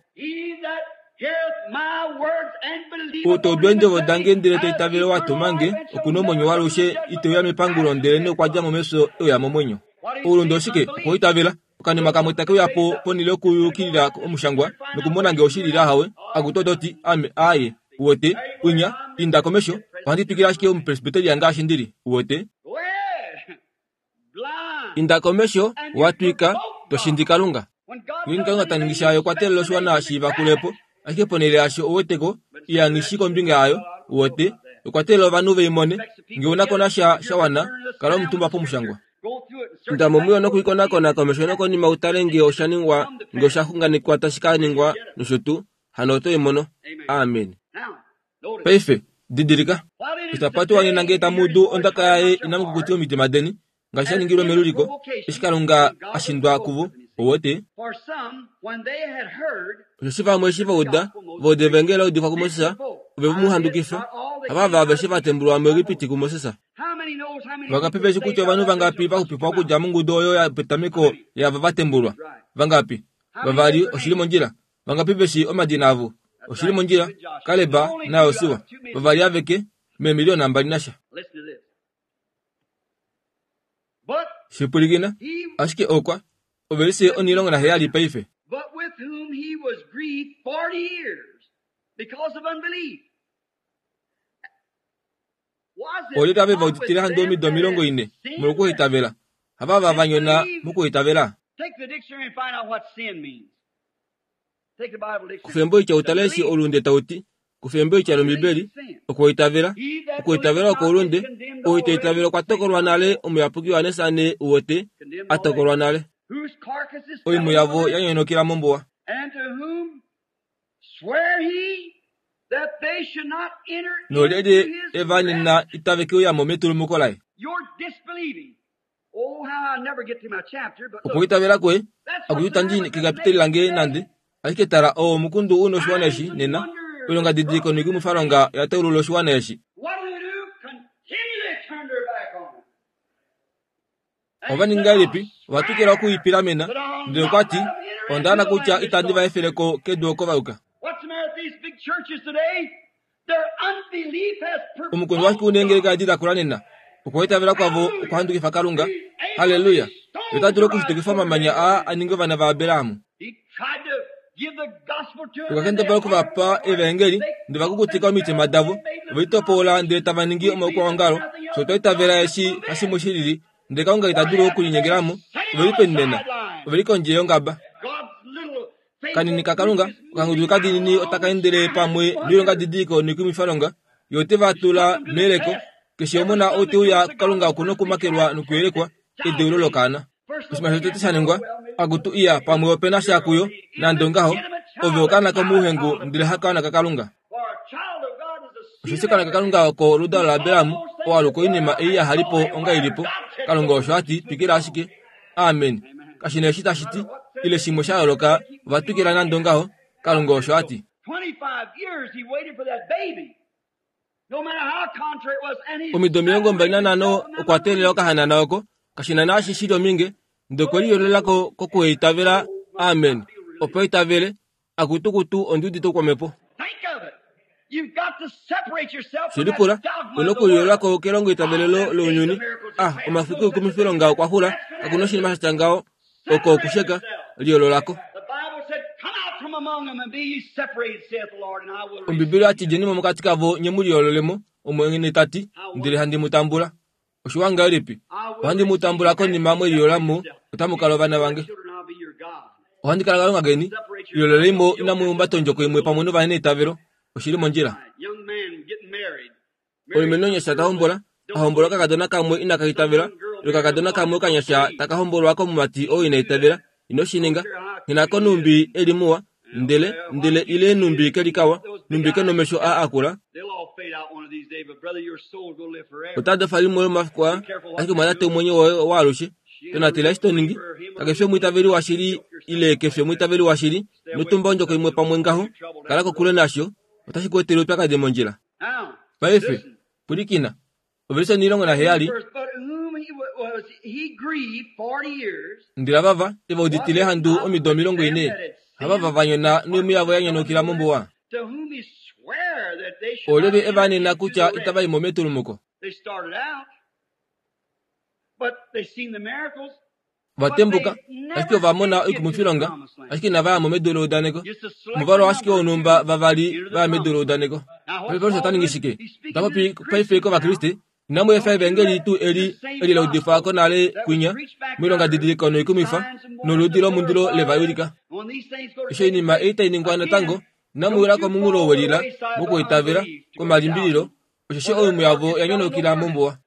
Ou ta udu eendjovo dange ndele ta itavele ou a tuma nge, oku na omwenyo waalushe, ite uya mepangulo, ndelenee okwa dja mo mefyo e uya momwenyo. Oulunde oshike? Okwoitavela. Okanima kamwe take uya po ponhele yokuyukilila omushangwa nokumona ngee oshili ile ahawe. Akutu oto ti, ame, aaye. Uwete, unya, inda komesho, ohandi twikile ashike omupresbyteria ngaashi ndili. Uwete? Inda komesho, watwika, toshindi Kalunga. Ngeenge Kalunga ta ningi shaye okwa teelela oshiwana shi vakulepo, ashike ponhele yasho ouweteko, iyangishi kombinga yayo, uwete, okwa teelela ovanhu veimone. Ngee unako nasha shawana, kala omutumba pomushangwa. Inda momwiyo nokuikonakona komesho nokonima utale ngee osha ningwa, ngee osha xunganekwa tashi ka ningwa nosho tuu, hano oto i mono. Amen. Paife, didilika. Eshi tapa nena ngee tamu udu ondaka yaye inamu kukutika omitima deni, ngaashi sha ningilwe meluliko, eshi Kalunga a shindwa kuvo, ouwete. Osheshi vamwe eshi va uda, va uda evangeli la udifwa kuMoses, ove mu handukifa, havava aveshe va tembulwa muEgipiti kuMoses. Vangapi veshi kutya ovanhu vangapi va xupifwa okudja mongudu oyo yopetameko yaava va tembulwa? Vangapi? Vavali, oshili mondjila. Vangapi veshi omadina avo? Oshili mondjila. Kaleb naJosua, vavali aveke, meemiliyona mbali nasha. Shipwilikina, ashike okwa, ovelise onhilongo naheyali paife. But with whom he was grieved forty years because of unbelief. Was it Olyelye ave va not with uditile handi them omido that omilongo had ine sinned? molwokuitavela? Havava va nyona mokuitavela. Take the dictionary and find out what sin means. Take the Bible dictionary. Kufa embo itya utale eshi olunde tauti. Kufa embo itya lOmbibeli, okuitavela. He that Okuitavela believeth oko not ulunde, is condemned ou ita already. itavela okwa tokolwa nale, omuyapuki Johannes ane uwete, Condemned a already. tokolwa nale. Whose carcass is Oimhu fell yavo in the ya nyonokela mombuwa. And to whom swear he that they should not enter Nolyelye into his e va nena rest? itave ke uyamo metulumuko laye. Your disbelieving. Oh, how I never get to my chapter, but look, Okuitavela kwoye, that's what's the akuti matter tandi with this kekapiteli nation lange today. nande, ashike tala oo omukundu u noshiwana Signs eshi and nena, wonders oilonga and didiliko noikumwifalonga oya taulula oshiwana eshi. What do they do? Continually turn their back on it. And Ova he said, ninga I'll elipi, ova twikila swear okuipilamena, that I'll ndele not okwa ti, let them enter onda ana into the kutya land which itandi va God efeleko kedu oko va yuka. What's the matter with these big churches today? Their unbelief has Omukundu washike provoked uneengeleka God. edi da kula nena? Okuitavela kwavo Hallelujah. okwahandukifa Kalunga. He's able to Haleluya. restore Ota dulu the right okushitukifa order omamanya in aa man. a ninge ovana vaAbraham. He tried to give the gospel to them Okwa and they kendabala hardened okuvapa their hearts. evangeli, They ndele va called kukutika omitima themselves, davo, they made ove little litopola ndele denominations. tava ningi We believe there's omaukwaongalo. nothing Fye else otwa but itavela God eshi can move hashi in. mushilili, ndele Kalunga ita What dulu happened? They okulinyengelamo. sitting Ove on li the peni nena? sideline. Ove li kondje yongaba. God's little Kanini faithful ka group Kalunga, is okangudu moving kadinini otaka endele pamwe along noilonga didiliko noikumwifalonga, yo ote va He's tula put them to the meyeleko. test. Keshe Every omona son ou that te uya comes to God kuKalunga must oku na first be okumakelwa tried. nokuyelekwa, edeulo lokaana. First Oshinima little shotete thing sha ningwa, well, maybe akutu iya pamwe opena sha kuyo, nande ongaho, illegitimate ove child, okaana that's not a komuuhengu child of ndele God. hakaana kaKalunga. For a child of God is a seed Osheshi of okaana kaKalunga Abraham. oko oludalo All laAbraham, those oo things aluka that oinima were ei and yahalipo so they onga were. ilipo, God said Kalunga so. osho a ti, Keeps moving twikila on. ashike. Amen. Amen. Kashi na eshi No tashi matter ti, what says ile they shimwe do, sha yooloka, they keep ova moving twikila on. nande ongaho, God Kalunga said osho a so. ti. Twenty-five years he waited for that baby. No matter how contrary it was, and he Omido omilongo mbali separated nanhano himself from them okwa teelela unbelievers. okahanana oko, kashina naashi shili ominge, ndele okwe liyololako kokuheitavela. Amen. Opo itavele, akutukutu ondi udite oukwamepo. Think of it. You've got to separate yourself from that Shilipula, dogma una of the world. okuliyololako kelongo Ah, itavelelo them days of lounyuni. miracles is Ah, past. omafiku No such a thing. oikumwifilonga okwa xula, That's kakuna oshinima fanaticism. sha tya ngaho, oko Separate okusheka, yourself. liyololako. The Bible said, Come out from among them and be ye separated, saith the Lord, and I will Ombibeli receive ati you. djenimo mokati kavo nye mu liyololemo, Omwene ta ti, How ndele wonderful. handi mu tambula. Oshiwa ngahelipi? I will Ohandi mu receive you tambula after konima you mwe separate liyolamo, yourself. otamu kala You ovana shall be my vange. children, I'll be your God. Ohandi kala Kalunga keni, Separate yourself. liyololemo Don't yoke inamu yourself humbata with ondjoko imwe pamwe unbelievers. novaneitavelo. Oshili mondjila. Right. Young man getting married. Married Omulumenhu some onyasha ta girl that hombola, a don't hombola believe. okakadona kamwe inaka Some itavela, young girl ile married a okakadona fellow kamwe that don't okanyasha believe. taka hombolwa komumati oo ina Don't do itavela, that. ino shi Don't ninga. care how Nghinako cute he is. numbi eli muwa, Well, ndele well, how ndele cute ile he numbi is. kelikawa, Those big numbi eyes, kenomesho a akula, they'll all fade out one of these days, but brother, your soul will live forever. otada fa limwe lomafiku aa, Be careful what ashike you mwatate do. omwenyo woye waalushe. She ain't a Tonatela real eshi to ningi, believer, him or kakefi her omwiitaveli don't washili yoke yourself ile up kefi like that. omwiitaveli washili, Stay away notumba from ondjoko stuff imwe that'll pamwe cause ngaho, you trouble kala down the kokule road. nasho, otashi ku etele oupyakadi mondjila. Now, Paife, listen. pwilikina, Ovelise onimulongo naheyali ndele avava eva uditile ehandu omido omilongo ine havava vanyona noimhu yavo yanyonaukila mombuwa. Olyelye eva anena kutya itava i mo metulumuko? Vatembuka, ashike ova mona oikumwifilonga, ashike inava ya mo medu leudaneko. Omuvalu ashike wonhumba vavali va ya medu leudaneko. Paife Paulus ota ningi shike? Ota popi paife kOvakriste. Inamu efa evangeli tuu eli eli la udifwa konale kwinya, moilongadidiliko noikumwifa, noludi lomundilo le va wilika. Eshi oinima ei tai ningwa natango, inamu wila komunghulo welila mokwiitavela komalimbililo, osheshi oimhu yavo ya nyonaukila mombuwa.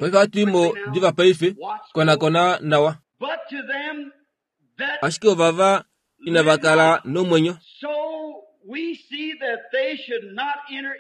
Paife ohatu i mo diva paife, konakona nawa. Ashike ovava inava kala nomwenyo.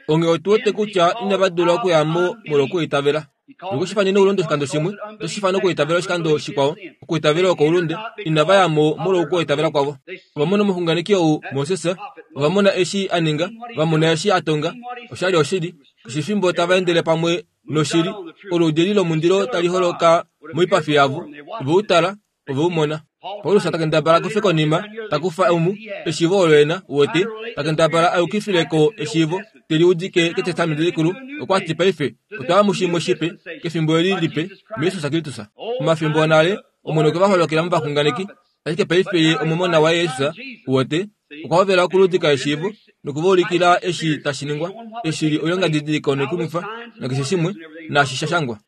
Onghee otu wete kutya inava dula okuya mo molwokwiitavela. Noku shi ifane oulunde oshikando shimwe, oto shi ifana okwiitavela oshikando shikwao. Okwiitavela oko oulunde. Inava ya mo molwokwiitavela kwavo. Ova mona omuxunganeki ou, Moses, ova mona eshi a ninga, va mona eshi a tonga, oshali oshili. Keshe efimbo tava endele pamwe noshili, oluudi eli lomundilo tali holoka moipafi yavo, ove u tala, ove u mona. Paulus ta kendabala kufe konima, ta kufa omu, eshiivo olo ena, uwete, ta kendabala a yukifileko eshiivo, te liudike kEtestamenti Likulu, okwa ti paife, otwa ya mushimwe shipe, kefimbo eli lipe, muJesus Kristus. Omafimbo onale, Omwene okwe va holokela movaxunganeki, ashike paife ye omomona waye Jesus, uwete, okwa hovela okuludika eshiivo, nokuva ulikila eshi tashi ningwa, eshi li oilongadidiliko noikumwifa, nakeshe shimwe, naashi sha shangwa.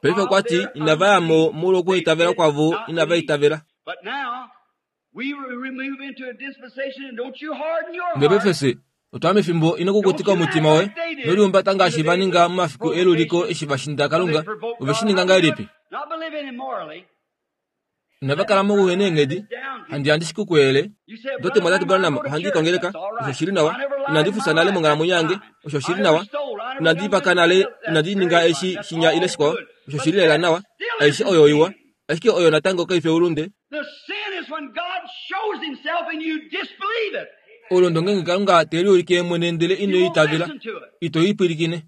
Paife okwa ti inava ya mo molwokwiitavela kwavo inava itavela. Ndele paife fye otwa ya mefimbo ino kukutika omutima woye nolihumbata ngaashi va ninga momafiku eluliko eshi va shinda Kalunga. Ove shi ninga ngahelipi? Inava kala mokuhena eenghedi. Handi handi shi kukwele. Ndote Mwatate Branham, ohandi i kongeleka. Osho shili nawa. Inandi fufya nale monghalamwenyo yange. Osho shili nawa. Inandi vaka nale, inandi ninga eshi shinya ile shikwao. Osho shili lela nawa. Aishe oyo iwa. Ashike oyo natango kaifi oulunde. Oulunde ongeenge Kalunga te liulike mwene ndele ino itavela, ito i pwilikine.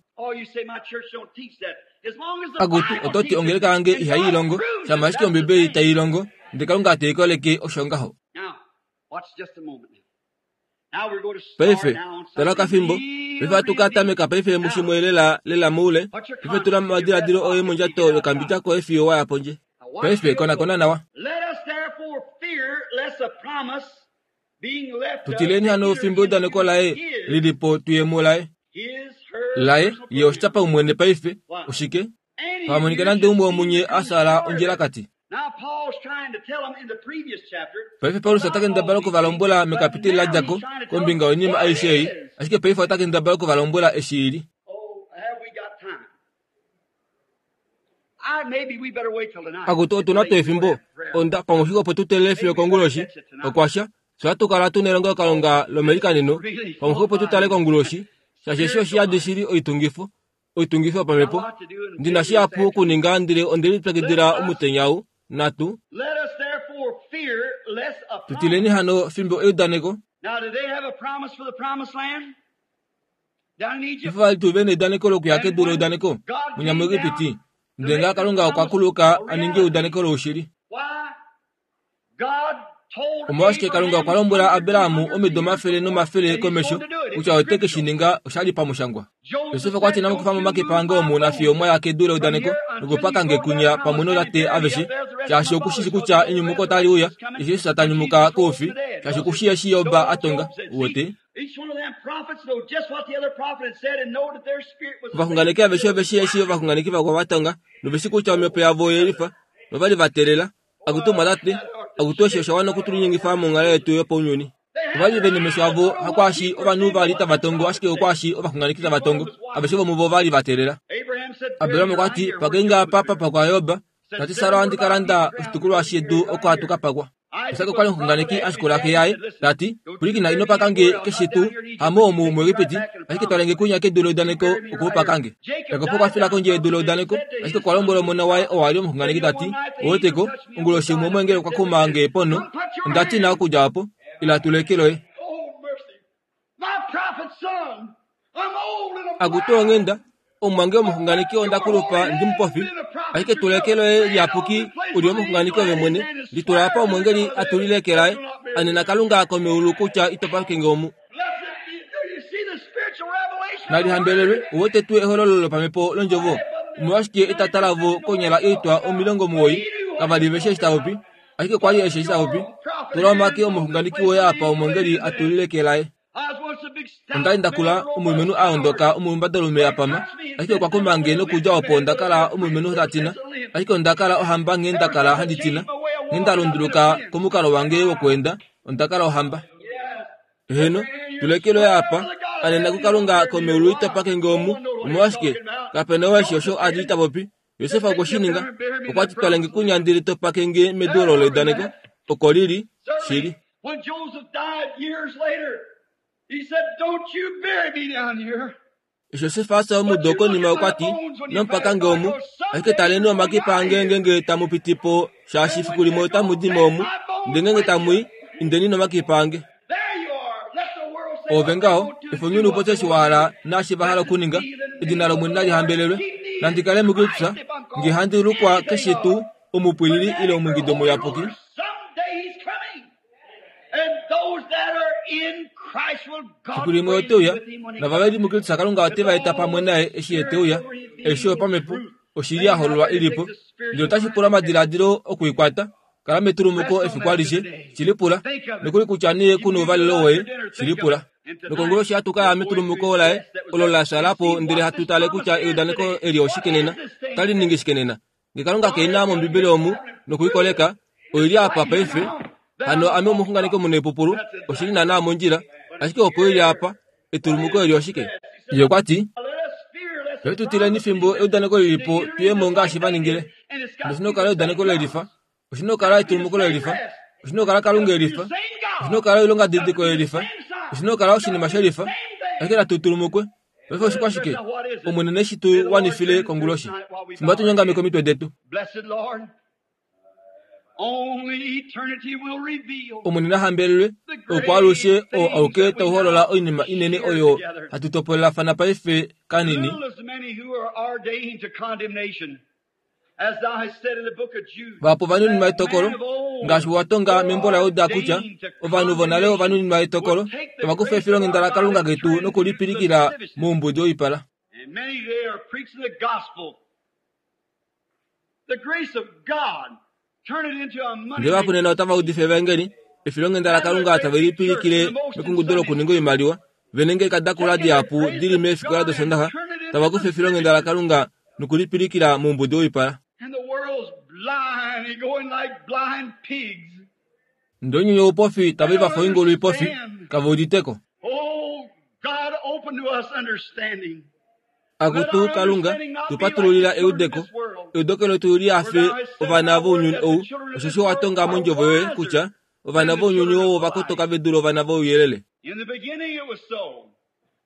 Akutu, oto ti ongeleka yange ihai longo, shama ashike Ombibeli tai longo, ndele Kalunga te i koleke osho ngaho. Paife, tala okafimbo, paife ohatu ka tameka paife mushimwe lela lela moule. Paife tula omadiladilo oye mondjato yokambidja koye fiyo wa ya pondje. Paife konakona nawa. Tutileni hano fimbo eudaneko laye lilipo tuye mulaye. Laye, ye oshityapaumwene paife, oshike? Pamonika nande umwe womunye a sala ondjilakati. Paife Paulus ota kendabala okuvalombwela mekapiteli la dja ko, kombinga yoinima aishe ei, ashike paife ota kendabala okuvalombwela eshi ili. Akutu otu na tuu efimbo? Onda pamwe opo tu teelele fiyo konguloshi, okwa sha, fye ohatu kala tu nelongelokalunga lomelikaneno, pamwe opo tu tale konguloshi, shaashi eshi oshi yadi shili oitungifo, oitungifo yopamhepo. Ndi na shihapu okuninga ndele onde lipyakidila omutenya ou, natu. Tutileni hano fimbo eudaneko. Paife vali tuu ve neudaneko lokuya kedu leudaneko, munya muEgipiti, ndele ngaha Kalunga okwa kuluka a ninge eudaneko loushili. Omolwashike Kalunga okwa lombwela Abraham omido omafele nomafele komesho kutya ote ke shi ninga oshali pamushangwa. Josef okwa ti inamu kufa mo omakipa ange omu nafiyo mwa ya kedu leudaneko nokupaka nge kunya pamwe nootate aveshe, shaashi oku shi kutya enyumuko otali uya eshi Jesus ta nyumuka koufi, shaashi oku shii eshi Job a tonga. Uwete? Ovaxunganeki aveshe ove shii eshi ovaxunganeki vakwao va tonga, nove shii kutya omhepo yavo oyelifa, novali va teelela. Akutu mwatate, akutu eshi osha wana okutulinyengifa monghalo yetu yopaunyuni. Ovali ve nomesho avo hakwaashi ovanhu vali tava tongo ashike okwaashi ovaxunganeki tava tongo. Aveshe vomuvo ovali va teelela. Abraham okwa ti, pakenge apa papakwa Job, tati Sara ohandi ka landa oshitukulwa shedu oko hatu ka pakwa. Isak okwa li omuxunganeki a shikula xe yaye, tati, pwilikina ino paka nge keshe tuu, hamo omu muEgipiti, ashike twale nge kunya kedu leudaneko oko u paka nge. Jakob okwa fila kondje yedu leudaneko, ashike okwa lombwela omona waye oo a li omuxunganeki tati, ouweteko, onguloshi imwe omweengeli okwa kuma nge ponho, onda tina okudja opo, ila tule eke loye. Akutu onghenda omumwange omuxunganeki onda kulupa ndi mupofi ashike tula eke loye liyapuki uli omuxunganeki ove mwene litula apa omwengeli atulile eke laye anena Kalunga komeulu kutya ito pakenge omu nalihambelelwe uwete tuu ehololo lopamhepo londjovo omolwashike etata lavo konyala oitwa omilongo omuwoi kavali veshi eshi tavopi ashike kwali eshi eshi tavopi tula omake omuxunganeki woye apa omwengeli atulile eke laye ondali ndakula omulumenhu aondoka omulumbadalume apama ashike okwa kumange nokudja opo ondakala omulumenhu tatina ashike ondakala ohamba nghee ndakala handi tina nghee ndalunduluka komukalo wange wokweenda ondakala ohamba heno tula eke loye apa anena kuKalunga komeulu ito pakenge omu omolwashike kapena oo eshi osho ali tapopi Josef okwe shi ninga okwati twalenge kunya ndele to pakenge medu olo leudaneko oko lili shili When Joseph died years later, he said, Don't you bury me down here. Josef asa omudo konima okwati nomupakange omu ashike taleni omakipa ange ngenge tamupitipo shaashi fiku limwe otamudimo omu ndele ngenge tamui indeni nomakipa ange There you are. Let the world say ove ngaho efonyuni upotye eshi wahala naashi vahala okuninga edina lOmwene nalihambelelwe nandikale muKristus nge handi lukwa keshe tuu omupwilili ile omwingido muyapuki Someday he's coming. And those that are in Christ will God fiku limwe raise oteuya with him when he nava veli muKristus Kalunga ote va eta pamwe naye eshi ye teuya eshi yopamhepo oshili ya hololwa ilipo ndele otashi pula omadiladilo okuikwata kala metulumuko efiku alishe shilipula nokuli kutya nee kuna ouvalelo woye shilipula nokonguloshi hatu kaya metulumuko laye olo la shalapo ndele hatu tale kutya eudaneko eli oshike nena otali ningi shike nena nge Kalunga kena mOmbibeli omu nokuikoleka oili apa paife hano ame omuxunganeki omunaipupulu oshili naana mondjila ashike opo ili apa etulumuko eli oshike ye okwati Let us fear lest paife tutileni fimbo eudaneko lilipo tuyemo ngaashi vaningile and it's got oshina okukala eudaneko lelifa oshina okukala etulumuko lelifa oshina okukala Kalunga elifa same God. oshina okukala oilongadidiliko yelifa oshina okukala oshinima shelifa ashike natu tulumukwe paife oshikwashike Omwene neshi tu wanifile konguloshi fimbo hatu komitwe detu Blessed Lord. Only eternity will reveal Omwene nahambelelwe okwaalushe oo auke tauholola oinima inene oyo hatu topolelafana paife kanini Little as many who are ordained to condemnation, as thou hast said in the book of Jude. vapo ovanuninwa etokolo ngaashi watonga membo laYuda kutya ovanhu vonale ovanuninwa etokolo tavakufa efilonghenda laKalunga ketu nokulipilikila moumbudi woipala And many they are preaching the gospel. The grace of God. Turn it into a money. Ndele vahapu nena otava udifa evangeli efilonghenda laKalunga tave lipilikile mekungudo lokuninga oimaliwa venenge kadakula dihapu dili meefikola dOsondaxa tava kufa efilonghenda laKalunga nokulipilikila moumbudi woipala And the world's blind and going like blind pigs. ndele ounyuni oupofi tava i vafa oingulu ipofi kave uditeko Oh, God, open to us understanding. Akutu Kalunga tupatululila eudeko eudeko letu lihafe ovana vounyuni ou osheshi watonga mondjovo yoye kutya ovana vounyuni ou ovakotoka ve dule ovana vouyelele In the beginning it was so.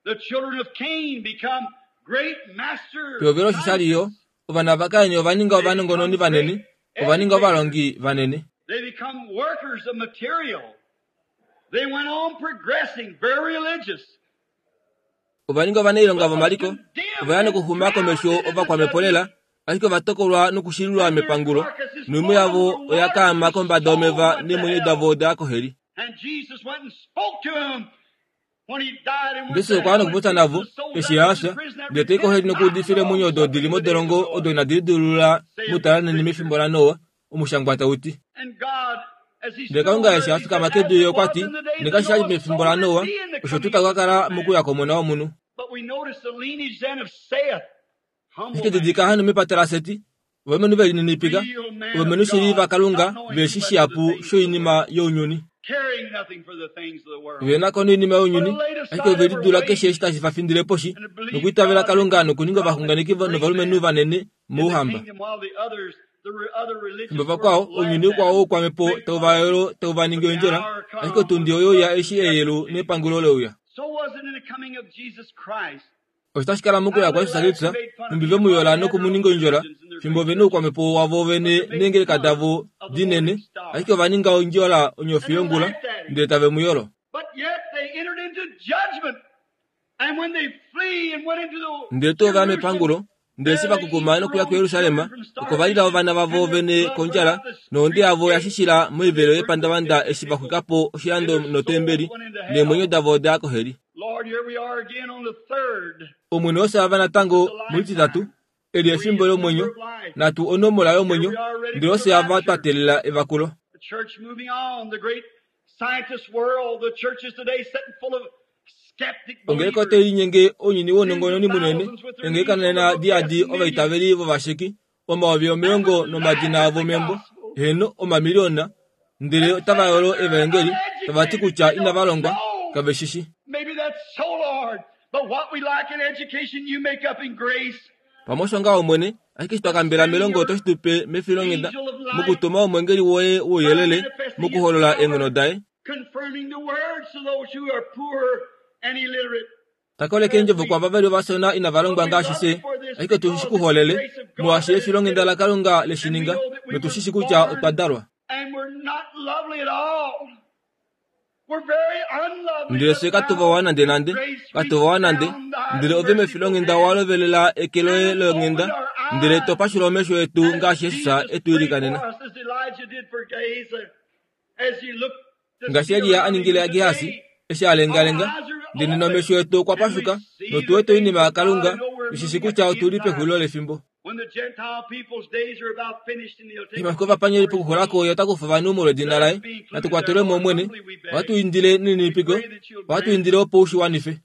The children of Cain become great masters. pehovelo osho shali yo ovana vaKain ova ninga ovanongononi vanene ova ninga ovalongi vanene They become workers of material. They went on progressing, very religious. Ova ninga ovanailonga vomaliko ovaya nokuxuma komesho ovakwamhepo lela ashike ovatokolwa nokushililwa mepangulo noimhu yavo oya kaama kombada yomeva neemwenyo davo odaya koheli And Jesus went and spoke to him when he died and went Jesus to okwa ya heaven. nokupopya navo eshi a fya ndele tai koheli nokuudifila eemwenyo odo dili modolongo odo inadi lidilulula mutalaneni mefimbo laNoa omushangwa tauti And God, as he ndele stood Kalunga on eshi earth, a he fikama said, kedu "As ye it okwa was ti in the days nengaashi of shali Noah, mefimbo so will laNoa it be in the osho tuu coming taku of ka kala the mokuya komona womunhu But we notice the lineage then of Seth, humble ashike man, didilika hano mepata laSeti ovalumenhu velininipika real man ovalumenhu of shili God, vaKalunga not knowing veshi much of the shihapu things of the shoinima world, younyuni caring nothing for the things of the world. venako noinima younyuni ashike ove lidula keshe eshi tashi vafindile poshi And to believe nokuitavela God Kalunga and nokuninga prophets, ovaxunganeki great novalumenhu men vanene in the mouhamba kingdom, while the others, the re- other religious fimbo vakwao world ounyuni laughed at ukwao them, oukwamhepo made fun of them. tauvayolo tauvaningi But the ondjola hour ashike come otundi when oyo ya judgment eshi eyelu came. nepangulo leuya So was it in the coming of Jesus Christ. osho tashi kala mokuya How they kwaJesus laughed Kristus and made fun of nhumbi him ve mu while yola they had their nokumuninga own ondjola religions and their fimbo great vene churches, oukwamhepo wavo but vene they made neengeleka fun davo of the dinene morning star. ashike ova ninga ondjola onyofi And they yongula laughed at him. ndele tave mu yolo But yet they entered into judgment Ndele tuu ova mepangulo, ndele eshi vakukuma nokuya kuJerusalem, oko va lila ovana vavo vene kondjala, nohonde yavo ya shishila moivelo yepandavanda eshi va xwika po oshilando notembeli, neemwenyo davo oda ya koheli. Omwene osho ava natango mulititatu, eli efimbo lomwenyo, natu onomola yomwenyo, ndele osho ava twa teelela evakulo. Ongeleka otai linyenge ounyuni wounongononi munene, ongeleka nena diyadi ovaitaveli vovasheki, omayovi omilongo nomadina avo membo, heeno omamiliyona, ndele otava yolo evaengeli, tava ti kutya inava longwa, kave shi shi. Pamwe osho ngaho Omwene, ashike eshi twa kambela melongo oto shi tu pe mefilonghenda, mokutuma omweengeli woye wouyelele, mokuholola eenghono daye. Takoleke eendjovo kwaava vali ovashona inava longwa ngaashi fye, ashike otu shi kuholele, molwaashi efilonghenda laKalunga le shi ninga, notu shi shi kutya otwa dalwa. Ndele fye katu vawa nandenande, katu vawa nande, ndele ove mefilonghenda owa lovelela eke loye longhenda, ndele to pashula omesho etu ngaashi Jesus e tu ilikanena. Ngaashi Elia a ningile Gehasi, eshi a lengalenga, ndele nena omesho etu okwa pashuka, notu wete oinima yaKalunga, tu shi shi kutya otu li pexulilo lefimbo. Eshi omafiku ovapangeli pokuxulako ye ota kufa ovanhu molwedina laye, natu kwatelwe mo Omwene, ohatu indile nelininipiko, ohatu indile opo u shi wanife.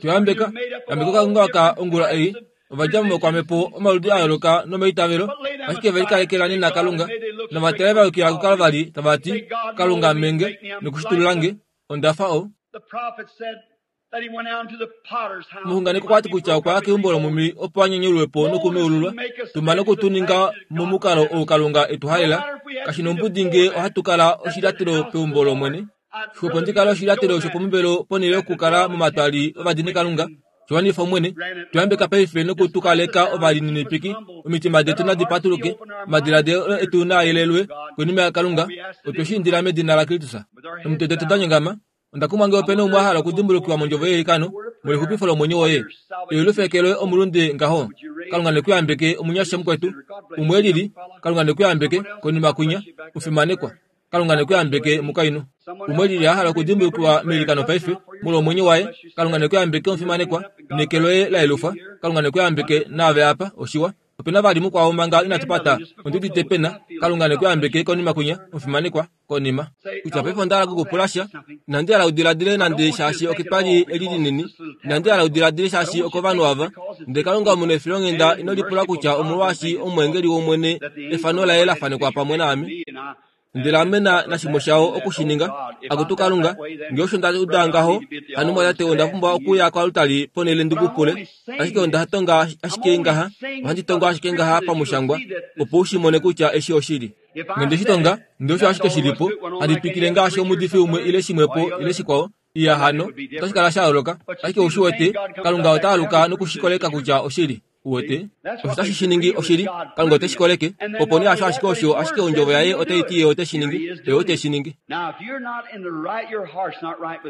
Tuyambeka, yambeka okaunga aka ongula ei, ovadja momakwamhepo omaludi a yooloka nomaitavelo, ashike ve likalekela nena Kalunga, novatale va yukila kuKalvari tava ti, Kalunga menge nokushitulula nge, onda fa o. Omuxunganeki okwa ti kutya okwa ya keumbo lomumi opo a nyanyulwe po nokumeululwa, tuma nokutuninga momukalo ou Kalunga e tu halela, kashi nombudi ngee ohatu kala oshilyatelo peumbo lOmwene. Xwepo ndi kale oshilyatelo shopomuvelo ponhele yokukala momatwali ovadinikalunga. Shiwanifa Omwene, tuyambeka paife nokutukaleka ovalininipiki, omitima detu nadi patuluke, omadiladilo etu naa yelelwe koinima yaKalunga, otwe shi indila medina laKristus. Omitwe detu da nyongama, onda kumwa ngee ope na umwe a hala okudimbulukiwa mondjovo yeilikano, molwexupifo lomwenyo woye. Eyolufeke loye omulunde ngaho. Kalunga nekuyambeke omunyasha mukwetu, umwe elili, Kalunga nekuyambeke, konima kwinya, mufimanekwa. Kalunga nekuyambeke mukainhu. Umwe elili a hala okudimbulukiwa meilikano paife, molwa omwenyo waye, Kalunga nekuyambeke omufimanekwa, neke loye la yelufwa, Kalunga nekuyambeke naave apa, oshiwa. Ope na vali mukwao manga inatu pata, ondi udite pena, Kalunga nekuyambeke konima kwinya, omufimanekwa, konima. Kutya paife onda hala okukupula sha, inandi hala udiladile nande shaashi oketwali eli linini, inandi hala udiladile shaashi okovanhu ava, ndele Kalunga omunefilonghenda ino lipula kutya omolwaashi omweengeli wOmwene efano laye la fanekwa pamwe naame. Ndele ame nashimwe shao oku shi ninga, akutu Kalunga, ngee osho nda uda ngaho, hano mwatate onda pumbwa okuya koaltari ponhele ndi kupule, ashike onda tonga ashike ngaha, ohandi tongo ashike ngaha pamushangwa, opo u shi mone kutya eshi oshili. Ngee shi tonga, ndele osho ashike shilipo, handi twikile ngaashi omuudifi umwe ile shimwepo ile shikwao, iya hano, otashi kala sha yooloka, ashike ou shi wete, Kalunga ota aluka nokushikoleka kutya oshili. Uwete, osho tashi shi ningi oshili, Kalunga ote shi koleke, opo nee hasho ashike osho, ashike ondjovo yaye otai ti ye ote shi ningi, ye ote shi ningi.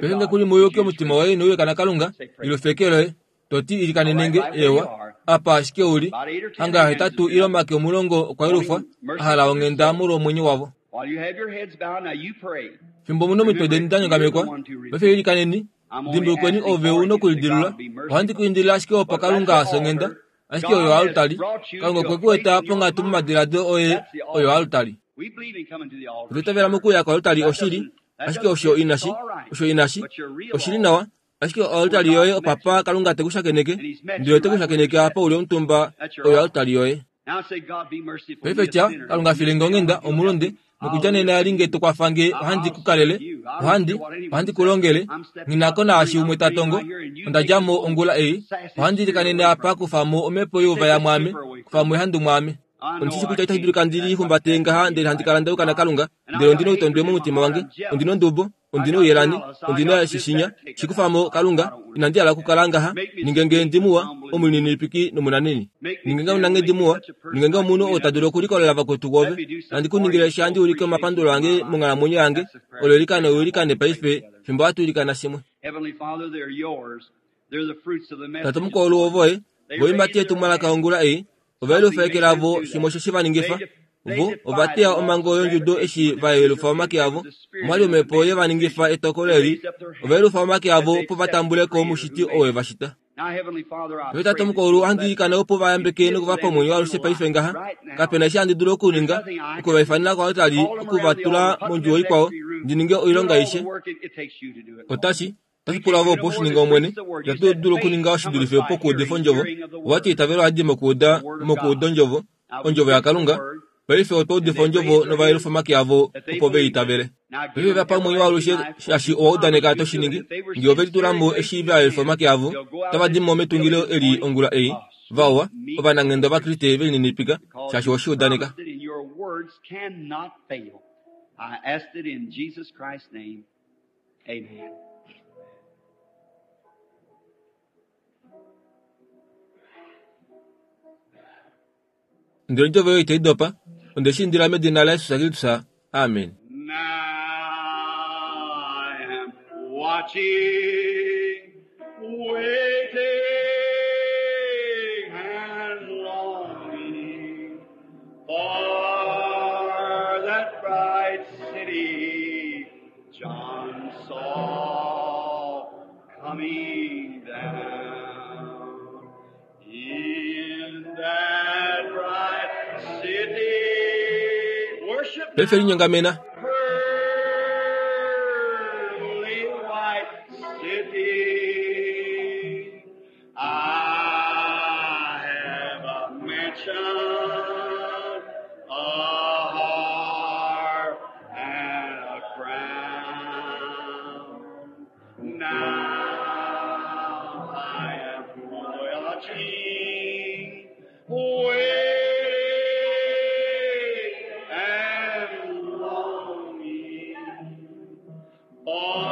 Paife ngee kuli mouyuki omutima woye inau yuka naKalunga, ilufeke loye, to ti ilikanenenge, eewa, apa ashike uli, hanga hetatu ile omake omulongo okwa yelufwa, a hala onghenda molwomwenyo wavo. Fimbo mu na omitwe deni da nyongamekwa, paife ilikaneni, dimbulukweni ove u nokulidilula, ohandi ku indile ashike opo Kalunga a songhenda, ashike oyo oaltari, Kalunga okwe ku eta ponghatu momadiladilo oye oyo oaltari. Otwa itavela mokuya koaltari oshili, ashike osho inashi, osho inashi, oshili nawa, ashike oaltari yoye opapa Kalunga te ku shakeneke, ndele ote ku shakeneke apa uli omutumba oyo oaltari yoye. Paife tya, Kalunga file nge onghenda, omulunde, nokudja nena eli nge to kwafa nge ohandi ku kalele, ohandi, ohandi ku longele, nghi na ko naashi umwe ta tongo, onda dja mo ongula ei, ohandi ilikanene apa kufa mo omhepo youvaya mwaame, kufa mo ehandu mwaame. Ondi shi kutya itashi dulika ndi lihumbate ngaha ndele handi kala nda yuka naKalunga, ndele ondi noutondwe momutima wange, ondi nondubo, ondi nouyelani, ondi na shishinya, shi kufa mo Kalunga, inandi hala okukala ngaha, ninge nge ndi muwa, omulininipiki nomunanheni. Ninge nge omunanghedi muwa, ninge nge omunhu oo ta dulu okulikolela vakwetu kwoove, nandi ku ningile sha ndi ulike omapandulo ange monghalamwenyo yange, olo ilikane u ilikane paife fimbo hatu ilikana shimwe. Heavenly Father, they're yours. They're the fruits of the message. Tate omukulu wovoye voimati etumwalaka ongula ei ovaelufa eke lavo shimwe osho shi va ningifa vo ovateya omhango yondjudo eshi vayelufa omake avo omwali omhepo ye va ningifa etokolo eli ovaelufa omake avo opo va tambule ko omushiti oo e va shita. Now, Heavenly Father, I Paife tate pray omukulu ohandi ilikana opo va yambeke nokuvapa omwenyo waalushe paife ngaha kapena eshi handi dulu okuninga okuvaifanena koaltari okuvatula mondjuwo ikwao ndi ninge oilonga all aishe the work it, it takes you to do it. otashi otashi pula vo opo oshininga omwene itatu dulu okuninga oshidulife pokuudifa ondjovo owati itavelo hadi mokuuda mokuuda ondjovo ondjovo yakalunga paife otwa udifa ondjovo novaelufa omake avo opo ve itavele paife vapa omwenyo waalushe shaashi owa udaneka to shi ningi ngee ove litulamo eshi vaelufa omake avo otava di mo metungilo eli ongula ei vawa ovananghenda ovakriste velininipika shaashi oweshi udaneka. Promised it, and your words cannot fail. I asked it in Jesus Christ's name. Amen. Ndele ondjovo oyo itai dopa onde shi indila medina laJesus Kristus amen. Now I am watching, waiting, and longing for that bright city John saw coming down. In that bright city, worship Paife linyongamena pearly white city. I have a mansion, a harp, and a crown. Now I am watching, waiting, and longing for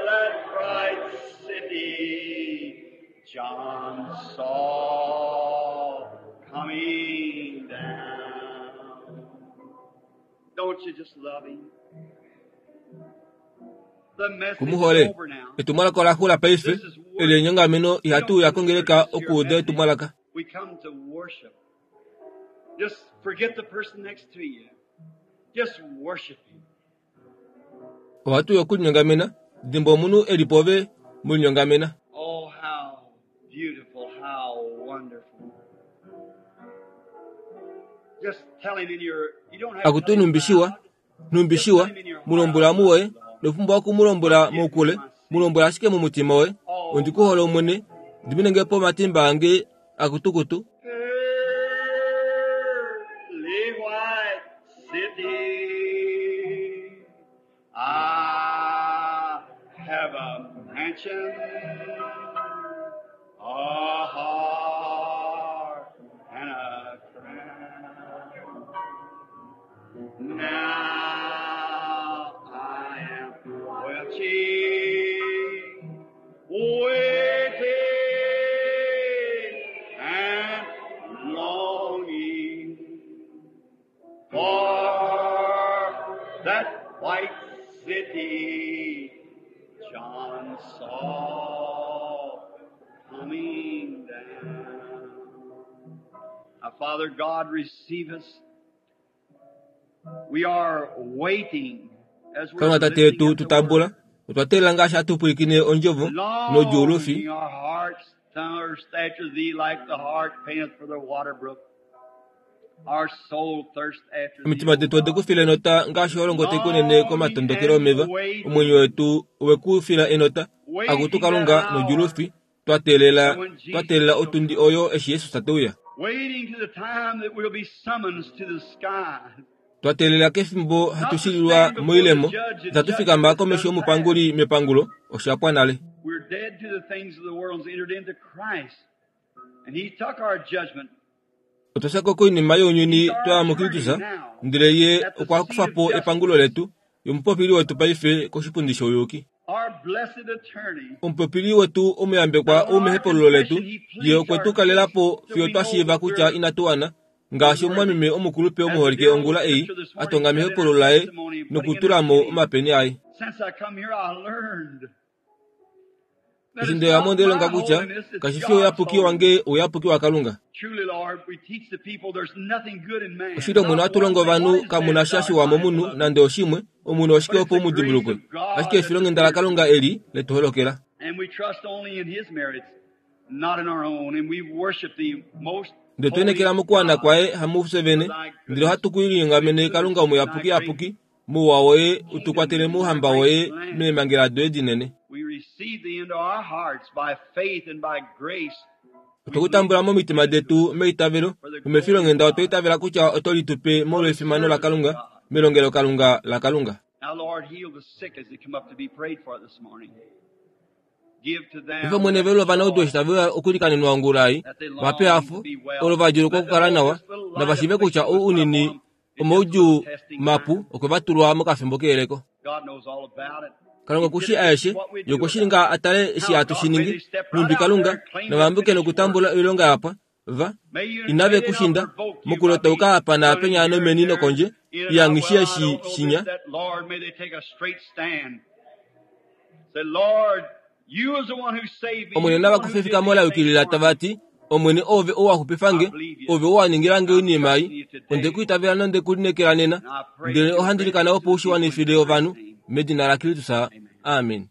that bright city John saw coming down. Don't you just love him? The message is kumuhole over now. etumwalaka ola xula paife eli enyongameno ihatu uya kongeleka okuuda etumwalaka. We come to worship. Just forget the person next to you. Just worship him. Ohatu uya okulinyongamena dimba omunhu eli pove mulinyongamena. Oh, how beautiful, how wonderful. Just tell him in your, you don't have to Akutu tell him numbishiwa loud. numbishiwa mulombwela muwoye nopumbwa okumulombwela moukule mulombwela ashike mumutima woye ondikuhole omwene ndiminengepo omatimba ange akutukutu. Pearly white city, I have a mansion, a heart, and a crown. Now I am watching, waiting, and longing for that white city John saw coming down. Now, Father God, receive us. We are waiting as we're Kalunga tate listening yetu at the tutambula word. otwa teelela ngaashi hatu pwilikine ondjovo nodjuulufi Longing our hearts thirst after thee like the hart panteth for the water brook. Our soul thirsts after thee, omitima O detu ode God. ku fila enota ngaashi holongo taikunene komatondokelo omeva omwenyo wetu owe ku fila enota akutu Waiting that kalunga hour nodjuulufi twa teelela when twa Jesus teelela shall otundi come. oyo eshi Jesus te uya. Waiting to the time that we'll be summoned to the sky. Twa teelela kefimbo hatu Not to shililwa stand before the moilemo judge and itatu fikama judgment is komesho done past. yomupanguli mepangulo oshapwa nale. We're dead to the things of the world and entered into Christ. And He took our judgment. Otwa shako koinima younyuni He's our twaya attorney muKristus now ndele ye at the okwa seat kufa of po epangulo justice. letu yomupopili wetu paife koshipundi shouyuki. Our blessed attorney. Omupopili wetu omuyambekwa And on our ou mehepululo letu confession, He ye pleads okwe our tu case kalela po till fiyo we twa know shiiva that kutya we're inatu wana Ngaashi omumwameme omukulupe omuholike ongula ei a tonga mehepululo laye nokutula mo omapeni aye. Since I come here, I learned that Eshi it's ndeya mo not ondelonga my kutya holiness, it's kashi fi God's ouyapuki holiness. wange ouyapuki waKalunga. Truly, Lord, we teach the people there's nothing good in man. Oshili Omwene Not ohatu longo one thing. ovanhu What is kamu man na sha desired shiwa by momunhu beloved? nande oshimwe, omunhu oshike But it's opo the mu grace dimbulukwe. of God Ashike that efilonghenda appears to laKalunga us. eli letu holokela. And we trust only in His merits, not in our own. And we worship the most Ndele tu holy enekela mokuwana God kwaye hamufye vene, for thy ndele goodness, ohatu ku for His linyongamene Kalunga goodness and thy omuyapukiyapuki, great mouwa woye kingdom utukwatele and thy mouhamba great woye plan. meemhangela doye dinene. We receive thee into our hearts by faith and by grace. We Otwe ku believe tambula that you momitima give it to us detu meitavelo, for the glory of nomefilonghenda otwa God, itavela kutya oto li tupe for molwa the efimano service of laKalunga, God. melongelokalunga laKalunga. Now, Lord, heal the sick as they come up to be prayed for this morning. Give to Ife them mwene that velo ovanaudu joy eshi tave uya okulikanenwa ongula ei, that they vape long hafo to be olo well. va djulukwa Let them okukala know nawa, this little light navashive kutya affliction ou was put upon unini them is just a little omaudjuu testing mapu time. okwe va tulwa mokafimbo keyeleko. God knows all about it. Kalunga He okushi did it to see aeshe, what we'd ye do okwe shi about ninga it. a tale eshi How hatu God shi may ningi, they step right nhumbi out there Kalunga and claim that navambuke finished work. nokutambula oilonga yapwa, va May you inave may they ku not shinda provoke you by mokulotauka being apa running naapenya here and nomeni there, nokondje, in and out. iyangishi Well, I eshi don't know this, shinya. that. Lord, may they take a straight stand. Say, Lord, you is the one who saved me. Omwene You the nava one who kufe did efikamo these la things yukilila for me. tava ti, Omwene oove ou wa xupifa I nge, believe you. ove ou wa ningila nge I'm oinima trusting ei, you onde today. ku itavela nonde ku lineekela nena, And I pray ndele that you'll ohandi grant likana it opo to u the shi people in wanifile Christ's ovanhu, name. medina laKristus. Amen. Amen.